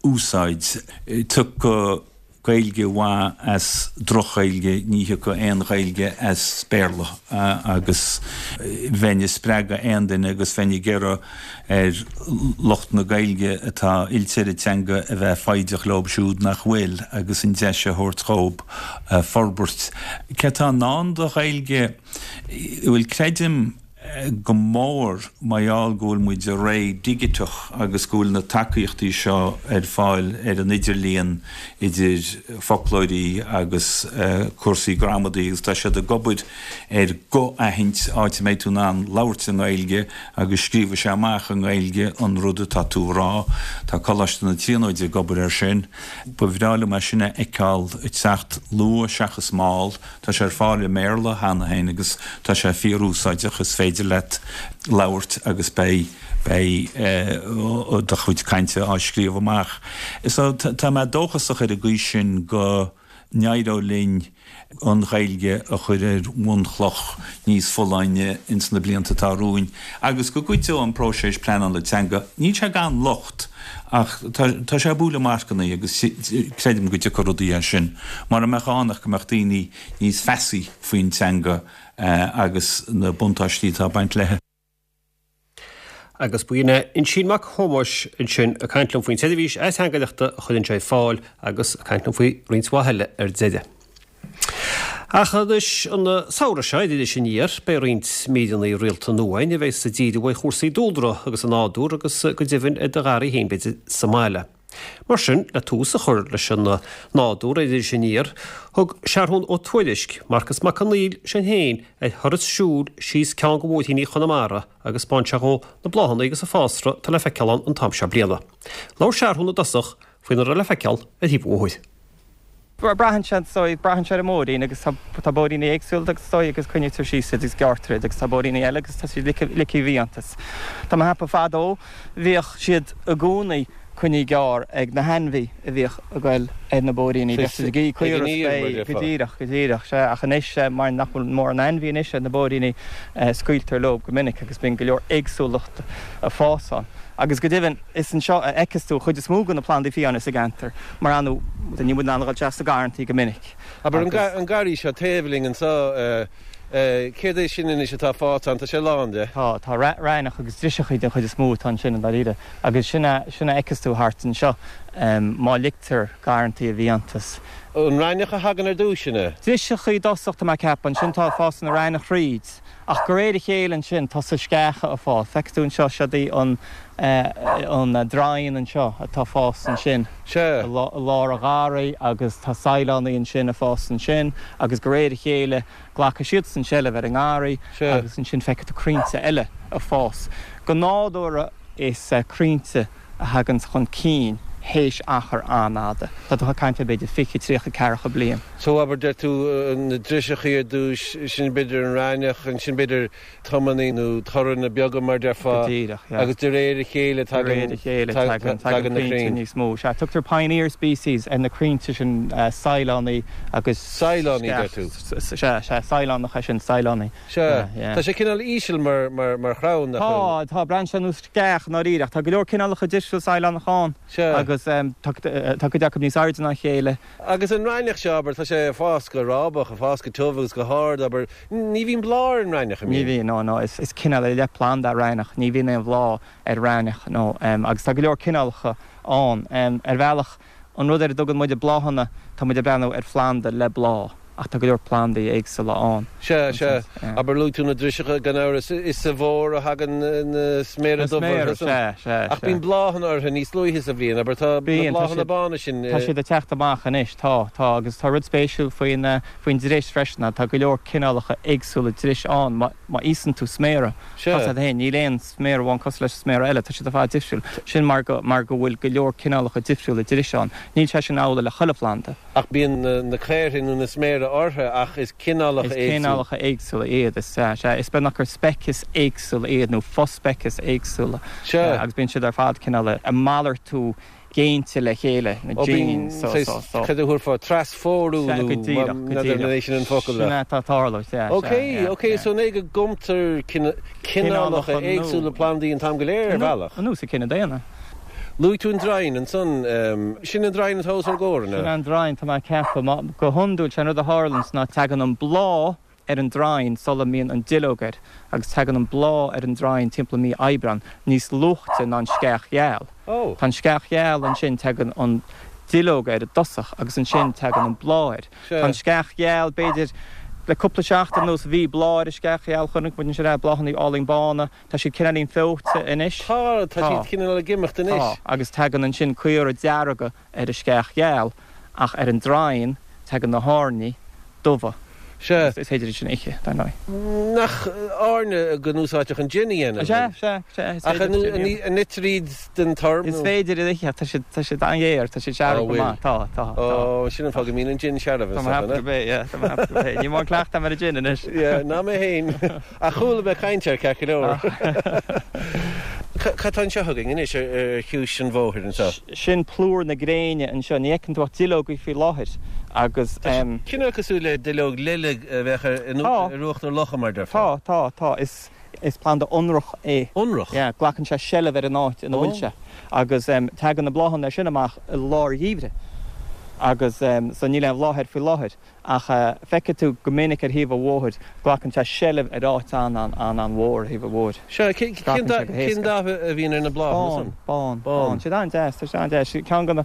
S4: úsáid. Tiocfaidh Gaeilge mhaith as droch-Ghaeilge, ní thiocfaidh aon Ghaeilge as Béarla agus bheinn ag spreagadh aon duine agus bheinn ag iarraidh ar lucht na Gaeilge atá oilte ar an teanga a bheith foighdeach leob siúd nach bhfuil agus an deis a thabhairt dhób forbairt. Cé atá i ndán do Ghaeilge? Bhuel, creidim go mór mar gheall go bhfuil muid i ré dhigiteach agus go bhfuil na tacaíochtaí seo ar fáil ar an idirlíon idir foclóirí agus cúrsaí gramadaí agus tá siad ag obair ar guth-aithint áit a mbeidh tú in ann labhairt i nGaeilge agus scríobhfaidh sé amach i nGaeilge an rud atá tú a rá. Tá Coláiste na Tríonóide ag obair air sin. Ba bhreá liom é sin a fheiceáil ag teacht luath seachas mall. Tá sé ar fáil i mBéarla cheana féin agus tá sé fíorúsáideach, is féidir leat labhairt agus beidh, beidh do chuid cainte á scríobh amach. So tá mé dóchasach ar an gcaoi sin go n-éireoidh linn an Ghaeilge a chur ar bhunchloch níos folláine ins na blianta atá romhainn agus go gcuideoidh an próiseas pleanála teanga. Níl sé gan locht. Ach tá sé ag bualadh marcanna agus creidim go dtiocfaidh rudaí as sin. Mura mbeadh ann ach go mbeadh daoine níos feasaí faoin teanga agus na buntáistí atá ag baint léi.
S1: Agus b'in é Uinsíonn Mac Thomáis ansin ag caint liom faoin tseirbhís ateangaireachta a chuireann sé ar fáil agus ag caint liom faoi roinnt mhaith eile ar deireadh. Ach anois, an samhradh seo, ar Iris Aniar, beidh roinnt míreanna rialta nua againn a bheas ag díriú ar chúrsaí dúlra agus an nádúr agus go deimhin ar do gharraí féin b'fhéidir sa mbaile. Mar sin, le tús a chur leis an nádúr ar Iris Aniar, thug Seathrún Ó Tuairisg, Marcas Mac Conghail is é féin ar thuras siúil síos ceann de bhóithríní Chonamara agus 'spáin sé dhó na bláthanna agus an fásra atá le feiceáil ann an t-am seo bliana. Labhair Seathrún i dtosach faoina raibh le feiceáil ar thaobh an bhóthair.
S5: Braitheann sé, is dóigh, braitheann sé ar an mbóithrín agus tá, tá bóithríní éagsúla agus is dóigh agus coinnítear síos iad agus gearrtar iad agus tá bóithríní eile agus tá siad ligthe, ligthe i bhfiántas. Tá mé ag ceapadh fadó bhíodh siad i gcónaí coinnithe gearr ag na hainmhí a bhíodh ag goil ar na bóithríní, bhíodh siad ag ithe caora is bé, go díreach, go díreach, sea, ach anois mar nach bhfuil mórán ainmhí anois ar na bóithríní scaoiltear leo go minic agus bíonn go leor éagsúlacht ag fás ann. Agus go deimhin, is anseo a fheiceas tú an chuid is mó de na plandaí fiáine sa gceantar, mar ar ndóigh, níl muid in ann a dhul isteach sna garrantaí go minic.
S6: Abair, an garraí seo taobh linn anseo, céard é sin anois atá fásta ann? Tá sé lán de.
S5: Tá, tá raithneach agus driseachaí den chuid is mó atá ansin i ndáiríre. Agus sin a, sin a fheiceas tú thart anseo, má ligtear garrantaí i bhfiántas.
S6: An raithneach a thagann ar dtús, sin é?
S5: Driseachaí i dtosach, tá mé ag ceapadh. Ansin tá, fásann an raithneach thríd. Ach de réir a chéile ansin tosaíonn sceacha ag fás. Feicfidh tú anseo, seod í an an draighean anseo atá ag fás ansin i lár an gharraí agus tá saighleánaí ansin ag fás ansin agus de réir a chéile glacfaidh siadsan seilbh ar an ngarraí agus ansin feicfidh tú crainnte eile ag fás. Go nádúrtha is crainnte a thaganns chun cinn théis achar an-fhada. Tá tú ag caint ar b'fhéidir 20, 30, 40 bliain.
S6: So abair, deir tú, na driseachaí ar dtúis, sin b'fhéidir an raithneach, ansin b'fhéidir tomannaí nó toranna beaga mar déarfá.
S5: Go díreach, yeah.
S6: Agus de réir a chéile
S5: tagann, De réir a chéile tagann, tagann na crainn níos mó. Sea, tugtar pioneer species ar na crainnte sin, saighleánaí agus.
S6: Saighleánaí, deir tú?
S5: Sea, sea, saighleánach é sin, saighleánaí.
S6: Sea. Tá sé cineál íseal mar, mar, mar chrann,
S5: nach bhfuil? Tá, tá, breathnaíonn sé ar nós sceach i ndáiríre, ach tá go leor cineálacha difriúil saighleánach ann.
S6: Sea.
S5: Agus tá, tá cuid acu níos airde ná a chéile.
S6: Agus an raithneach seo, abair, tá sé ag fás go rábach, ag fás go tiubh agus go hard, abair, ní bhíonn bláth ar an raithneach, an
S5: mbíonn? Ní bhíonn, no, no, is, is cineál ar leith planda é raithneach, ní bhíonn aon bhláth ar raithneach, no, agus tá go leor cineálacha ann. Ar bhealach, An rud ar a dtugann muide bláthanna, tá muid ag breathnú ar phlanda le bláth, ach tá go leor plandaí éagsúla ann.
S6: Sea, sea. Abair, luaigh tú na driseacha, gan amhras, is sa bhfómhar a thagann na sméara
S5: dubha orthu san. Sea, sea,
S6: Ach bíonn bláthanna orthu níos luaithe sa bhliain, abair, tá na bláthanna bána sin.
S5: Tá siad ag teacht amach anois, tá, tá. Agus tá rud spéisiúil faoin, faoin dris freisin, tá go leor cineálacha éagsúla dris ann. Má, má íosann tú sméara,
S6: Sea.
S5: Tá a fhios agat féin, níl aon sméar amháin cosúil leis an sméar eile, tá siad ar fad difriúil. Sin mar go, mar go bhfuil go leor cineálacha difriúla dris ann. Níl sé sin amhlaidh le chuile phlanda.
S6: Ach bíonn na caorthainn nó na sméara. orthu ach is cineálacha
S5: Is cineálacha éagsúla iad, is ea, sea. Is beagnach gur speicis éagsúla iad nó fospeicis éagsúla.
S6: Sea.
S5: Agus bíonn siad ar fad cineál ag malartú géinte le chéile, na
S6: Ó, bíonn,
S5: genes, so, so,
S6: saghas,
S5: so.
S6: cad a thabharfá, trasphórú
S5: Sea,
S6: nó
S5: go díreach, go
S6: n'fheadar an
S5: díreach.
S6: é sin an focal
S5: Sin
S6: ach.
S5: é atá ag tarlú, sea, sea,
S6: Ok,
S5: yeah,
S6: ok,
S5: yeah.
S6: so an é go gcumtar cineálacha
S5: Cineálacha nua.
S6: éagsúla plandaí an t-am go léir ar bhealach?
S5: Ar nós an cine daonna.
S6: Luaigh tú an draighean ansan. Sin an draighean atá os ár gcomhair, an
S5: Sin
S6: ea?
S5: an draighean, tá mé ag ceapadh. Go hiondúil, sé an rud a tharlaíonns ná tagann an bláth ar an draighean sula mbíonn an duilleog air agus tagann an bláth ar an draighean timpeall mí Aibreán, níos luaite ná an sceach gheal.
S6: Ó.
S5: Tá an sceach gheal ansin, tagann an duilleog air i dtosach agus ansin tagann an bláth air.
S6: Sea.
S5: Tá an sceach gheal, b'fhéidir, le cúpla seachtain anuas bhí bláth ar an sceach gheal, chonaic muid ansin é, bláthanna álainn bána. Tá siad cineáilín feoite anois.
S6: Tá, tá siad cineál ag imeacht anois.
S5: Tá, agus tagann ansin caora dearga ar an sceach gheal, ach ar an draighean tagann na hairní dubha.
S6: Sea.
S5: Is féidir iad sin a ithe, dar ndóigh.
S6: Nach airne go n-úsáidtear chun jin a dhéanamh?
S5: Sea, sea, sea, is
S6: Ach
S5: féidir jin a dhéanamh.
S6: an itear iad den toir?
S5: Is féidir iad a ithe, tá siad, tá siad an-ghéar, tá siad searbh go maith. Tá, tá, tá.
S6: Ó, sin an fáth go mbíonn an jin searbh,
S5: Tá mé ag ceapadh gurb é, yeah, tá mé ag ceapadh gurb é. Níl mórán cleachtadh agam ar an jin anois.
S6: Yeah, ná mé féin. Ach chuala mé caint air ceart go leor. Cad tá anseo againn anois ar chiumhais an bhóthair anseo?
S5: Sin plúr na gréine anseo. Ní fheiceann tú ach duilleogaí faoi láthair agus.
S6: Tá sé cineál cosúil le duilleog lile a bheadh ar uachtar locha mar
S5: déarfá. Tá, tá, tá. Is planda ionrach é.
S6: Ionrach?
S5: Yeah, glacann sé seilbh ar an áit ina bhfuil sé. Agus tagann na bláthanna sin amach i lár gheimhridh. Agus so níl aon bhláth air faoi láthair. Ach feicfidh tú go minic ar thaobh an bhóthair, glacann sé seilbh ar áit an-an-an-mhór ar thaobh an bhóthair.
S6: Sea, cén dath a bhíonn ar na bláthanna san?
S5: Bán, bán, bán. Siad an-deas, tá siad an-deas. Ceann de na,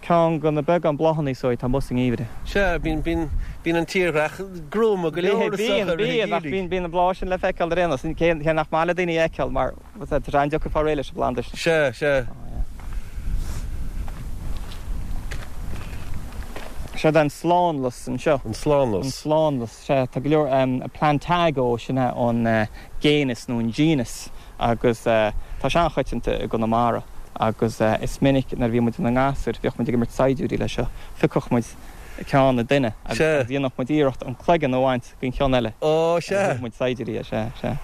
S5: ceann de na beagán bláthanna is dóigh atá amuigh sa ngeimhreadh.
S6: Sea, bíonn, bíonn, bíonn an tírdhreach gruama go leor
S5: is dócha i rith an gheimhridh. Bíonn, bíonn, ach bíonn, bíonn an bláth sin le feiceáil ar aon nós. Cé, cé nach maith le daoine a fheiceáil mar, tá sé an-deacair fáil réidh leis an bplanda
S6: sin. Sea, sea.
S5: Seod an slánlus anseo.
S6: An slánlus.
S5: An slánlus, sea. Tá go leor Plantago, sin é an géineas nó an genus agus tá sé an-choitianta i gConamara agus is minic nuair a bhí muid ina ngasúir bhíodh muid ag imirt saighdiúirí leis seo. Phiocfadh muid ceann ag duine agus dhéanfadh muid iarracht an cloigeann a bhaint den cheann eile.
S6: Ó, sea.
S5: Agus muid saighdiúirí, sea, sea.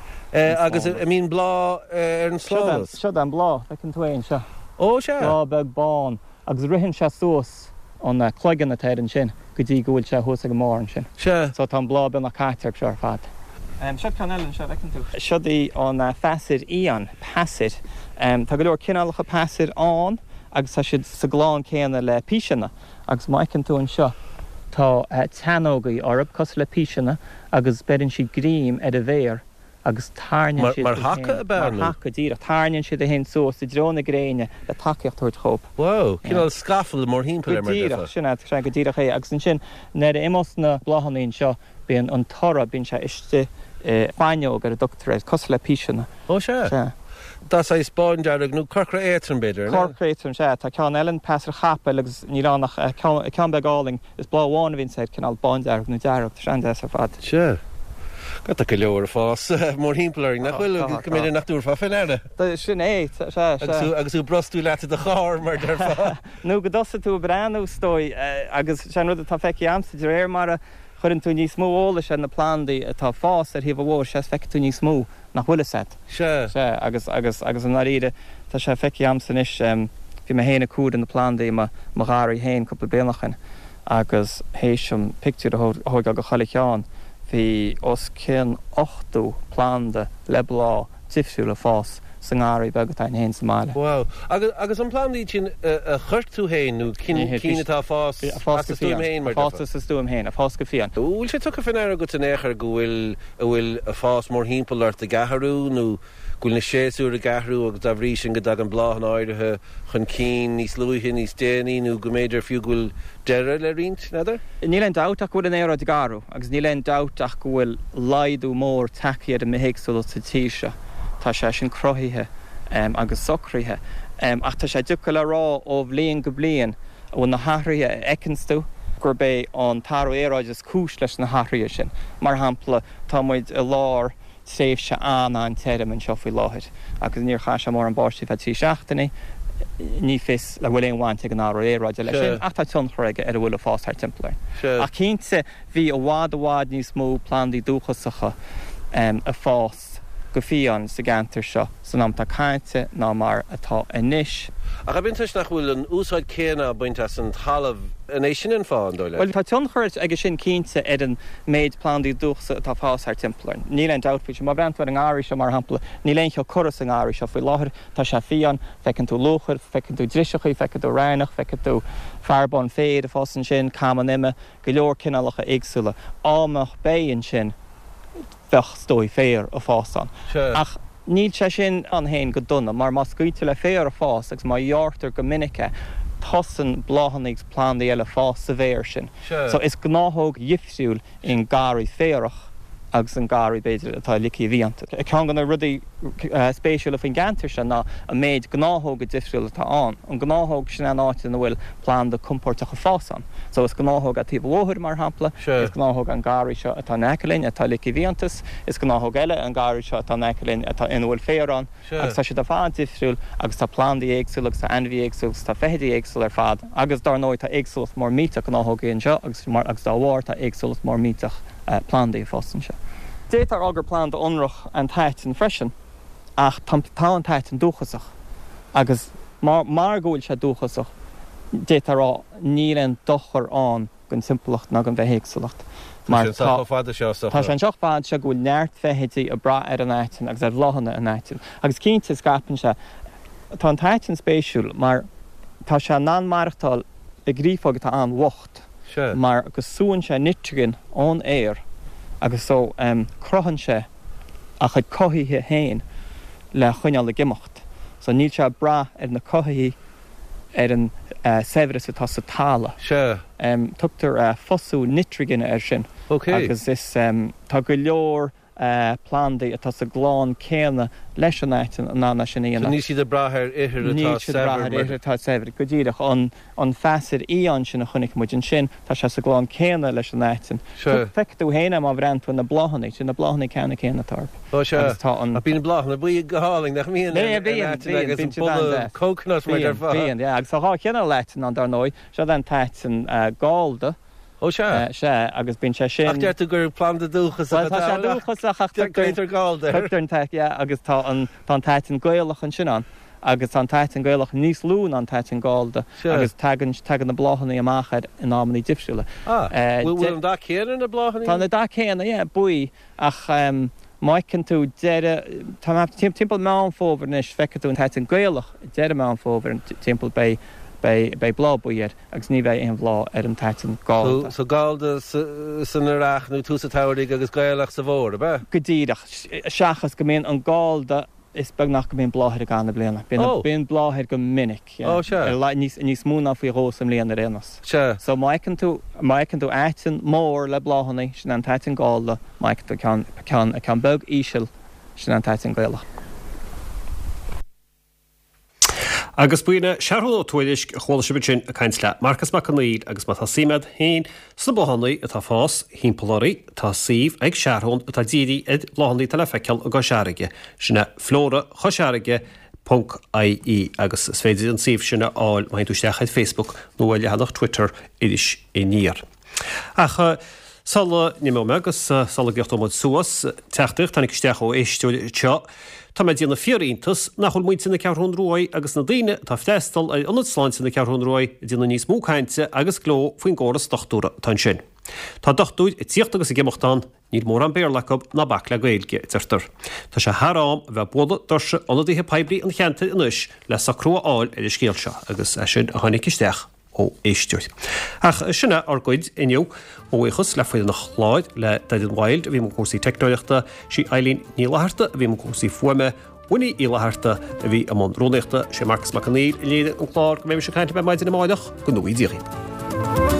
S6: Agus an mbíonn bláth ar an slánlus?
S5: Seod an bláth, feiceann tú é anseo.
S6: Ó, sea.
S5: Bláth beag bán agus ritheann sé suas an cloigeann atá air ansin go dtí go bhfuil sé thuas ag an mbarr ansin.
S6: Sea.
S5: So tá an bláth beagnach caite air seo ar fad. Seod ceann eile anseo, bhfeiceann tú. Seod í an pheasair fhiáin, peasair. Tá go leor cineálacha peasair ann agus tá siad sa gclann céanna le píseanna agus má fheiceann tú anseo tá teannógaí orthu cosúil le píseanna agus beireann siad greim ar an bhféar agus tairneann siad
S6: Mar thaca ab ea
S5: nó? Mar thaca, díreach. Tairneann siad iad féin suas i dtreo na gréine le tacaíocht a thabhairt dhóibh.
S6: Wow, cineál scafall mórthimpeall air
S5: mar a déarfá. Go díreach, sin é, sin é go díreach é. Agus ansin nuair a imeos na bláthanna anseo, bíonn an toradh, bíonn sé istigh i bhfaighneog ar a dtugtar air, cosúil le píseanna.
S6: Ó sea.
S5: Sea.
S6: Dath saghas bándearg nó corcra éadtrom b'fhéidir, an ea?
S5: Corcra éadtrom, sea. Tá ceann eile, an peasair chapaill, agus níl ann ach ceann beag álainn. Is bláth amháin a bhíonns air, cineál bándearg nó dearg. Tá sé an-deas ar fad.
S6: Sea. Tá go leor ag fás mórthimpeall orainn, nach bhfuil? Go mb'fhéidir nach dtabharfá fé ndeara.
S5: Sin é, sea, sea.
S6: Agus tú ag brostú leat i do charr, mar a déarfá.
S5: Nó go dtosaigh tú ag breathnú, is dóigh, agus sé an rud atá feicthe a'msa, de réir mar a chuireann tú níos mó eolais ar na plandaí atá ag fás ar thaobh an bhóthair, sea, is feicfidh tú níos mó. nach bhfuil fhios a'd.
S6: Sea.
S5: Sea, agus, agus, agus i ndáiríre, tá sé feicthe a'msa anois, bhí mé féin ag cur na plandaí i mo, mo gharraí féin cúpla bliain ó shin agus théis dom pictiúr a thóigeáil de chuile cheann, bhí os cionn 80 planda le bláth difriúil ag fás sa ngarraí beag atá a'inn féin sa mbaile.
S6: Wow. Agus, agus an plandaí sin a chuir tú féin nó cinn, cinn atá ag fás as do stuaim féin
S5: mar a déarfá? Ag fás as a stuaim féin, ag fás go fiáin.
S6: Bhfuil sé tugtha fé ndeara agat in aon chor go bhfuil a bhfuil ag fás mórthimpeall ort ag athrú nó go bhfuil na séasúir ag athrú agus dá bhrí sin go dtagann bláthanna áirithe chun cinn níos luaithe, níos déanaí nó go mb'fhéidir fiú go bhfuil deireadh le roinnt, n'fheadar?
S5: Níl aon dabht ach go bhfuil an aeráid ag athrú agus níl aon dabht ach go bhfuil laghdú mór tagtha ar an mbithéagsúlacht sa tír seo. Tá sé sin cruthaithe agus socraithe. Ach tá sé deacair le rá ó bhliain go bliain an bhfuil na hathruithe a fheiceanns tú, gurb é an t-athrú aeráide is cúis leis na hathruithe sin. Mar shampla, tá muid i lár tréimhse an-an-tirim anseo faoi láthair agus níor chaith sé mórán báistí feadh 3 seachtainí. Ní fios an bhfuil aon bhaint ag an athrú aeráide leis sin ach tá tionchar aige ar a bhfuil ag fás thart timpeall orainn. Ach cinnte bhí i bhfad i bhfad níos mó plandaí dúchasacha ag fás go fiáin sa gceantar seo san am atá caite ná mar atá anois.
S6: Ach ab in toisc nach bhfuil an úsáid céanna á baint as an talamh, an é sin an fáth, an dóigh leat?
S5: Bhuel, tá tionchar aige sin cinnte ar an méid plandaí dúchasacha atá ag fás thart timpeall orainn. Níl aon dabht faoi sin. Má bhreathnaíonn tú ar an ngarraí seo, mar shampla, níl aon cheo curtha sa ngarraí seo faoi láthair. Tá sé fiáin. Feiceann tú luachair, feiceann tú driseachaí, feiceann tú raithneach, feiceann tú fearbán féir ag fás ansin, cam an ime, go leor cineálacha éagsúla. Dá mbeadh beith ansin, bheadh, is dóigh, féar ag fás ann. Ach níl sé sin ann féin go dona, mar má scaoiltear le féar ag fás agus má ghearrtar go minic é, tosaíonn bláthanna agus plandaí eile fás sa bhféar sin. So is gnáthóg dhifriúil í an garraí féarach agus an garraí, b'fhéidir, atá ligthe i bhfiántas. Ceann de na rudaí spéisiúla faoin gceantar seo ná an méid gnáthóga difriúla atá ann. An gnáthóg, sin é an áit ina bhfuil planda compóirteach ag fás ann. So is gnáthóg é taobh an bhóthair, mar shampla. Is gnáthóg an garraí seo atá in aice linn, atá ligthe i bhfiántas. Is gnáthóg eile an garraí seo atá in aice linn, atá ina bhfuil féar ann. Agus tá siad ar fad difriúil agus tá plandaí éagsúla agus tá ainmhithe éagsúla agus tá feithidí éagsúla ar fad. Agus dár ndóigh tá éagsúlacht mór millteach gnáthógaí anseo agus agus dá bharr tá éagsúlacht mór millteach plandaí ag fás anseo. D'fhéadfá a rá gur planda ionrach an t-aiteann freisin ach tá tá an t-aiteann dúchasach agus mar mar go bhfuil sé dúchasach d'fhéadfá a rá níl aon dochar ann don timpeallacht ná don bhithéagsúlacht
S6: mar tá sé anseo chomh fada seo is
S5: tá sé anseo chomh fada seo go bhfuil neart feithidí ag brath ar an aiteann agus ar bhláthanna an aitinn agus cinnte scaipeann sé. Tá an t-aiteann spéisiúil mar tá sé in ann maireachtáil i gcreafóig atá an-bhocht mar go súann sé nitrigin ón aer agus so cruthaíonn sé a chuid cothaithe féin le choinneáil ag imeacht so níl sé ag brath ar na cothaithigh ar an saibhreas atá sa talamh.
S6: Sea.
S5: Tugtar fosú nitrigine air sin.
S6: Ok.
S5: Agus is, tá go leor plandaí atá sa gclann céanna leis an aiteann in ann é sin a
S6: dhéanamh. So níl siad ag brath ar ithir atá saibhir.
S5: Níl siad ag brath ar ithir atá saibhir. Go díreach. An, an pheasair fhiáin sin a chonaic muid ansin, tá sé sa gclann céanna leis an aiteann.
S6: Sea.
S5: Feicfidh tú féin é má bhreathnaíonn tú ar na bláthanna. Sin na bláthanna ceannann céanna atá orthu.
S6: Ó sea. Agus tá an. Ach bíonn bláthanna buí go hálainn, nach mbíonn, ar an aiteann agus an boladh coconut mar
S5: déarfá. Bíonn, yeah. Agus tá 2 chineál aiteann ann, dar ndóigh. Seo an t-aiteann gallda.
S6: Ó sea.
S5: Sea, agus bíonn sé sin.
S6: Ach deir tú gur planda dúchasach
S5: atá ann. Bhuel, tá sé dúchasach ach
S6: tugtar. Gallda
S5: air. Tugtar an t-aiteann, yeah, agus tá an, tá an t-aiteann Gaelach ansin ann. Agus tá an t-aiteann Gaelach níos lú ná an t-aiteann gallda agus tagann, tagann na bláthanna amach air in amanna difriúla.
S6: Ah, bhfuil an dath céanna ar na bláthanna?
S5: Tá na dath céanna, yeah, buí. Ach má fheiceann tú deireadh, tá timpeall Meán Fómhair anois, feicfidh tú an t-aiteann Gaelach deireadh Meán Fómhair timpeall, beidh, beidh, beidh bláth buí air agus ní bheidh aon bhláth ar an t-aiteann
S6: gallda. So gallda san earrach nó tús an tsamhraidh agus Gaelach sa bhfómhar, ab ea?
S5: Go díreach. Seachas go mbíonn an gallda, is beag nach go mbíonn bláth air i gcaitheamh na bliana. Bíonn, bíonn bláth air go minic,
S6: yeah. Ó, sea.
S5: Ar la, níos, níos mó ná faoi dhó sa mbliain ar aon nós.
S6: Sea.
S5: So má fheiceann tú, má fheiceann tú aiteann mór le bláthanna, sin é an t-aiteann gallda, má fheiceann tú ceann, ceann, ceann beag íseal, sin é an t-aiteann Gaelach.
S1: Agus b'in é Seathrún Ó Tuairisg a chuala sibh ansin ag caint le Marcas Mac Conghail agus má tá suim agat féin sna bláthanna atá ag fás thimpeall oraibh, tá suíomh ag Seathrún atá dírithe ar bhláthanna atá le feiceáil i gCois Fharraige, sin é Flora Chois Fharraige ponc ie agus is féidir an suíomh sin a fháil má théann tú isteach ar Facebook nó ar leathanach Twitter Iris Aniar. Ach sula n-imeoidh mé agus sula gcríochnóidh muid suas, teachtaireacht a tháinig isteach ó éisteoir anseo, Tá mé ag déanamh fíor-iontas nach bhfuil muintir na Ceathrún Ruaidh agus na daoine atá ag freastal ar Ionad Sláinte na Ceathrún Ruaidh ag déanamh níos mó cainte agus gleo faoin gcóras dochtúra atá ansin. Tá dochtúir ag tíocht agus ag imeacht ann, níl mórán Béarla acu ná bac le Gaeilge, a deirtear. Tá sé thar am a bheith ag bualadh doirse ionadaithe poiblí an cheantair anois le socrú a fháil ar an scéal seo agus é sin a tháinig isteach. ó éisteoir. Ach sin é ár gcuid inniu. Mo bhuíochas le foireann an chláir, le Doireann Wilde a bhí i mbun cúrsaí teicneoireachta, sí Eileen Ní Fhlatharta a bhí i mbun cúrsaí fuaime, Winnie Uí Fhlatharta a bhí i mbun rúnaíochta, sé Marcas Mac Conghail a léirigh an clár. Go mbeimis ag caint libh ar maidin amárach, go ngnóthaí Dia dhaoibh.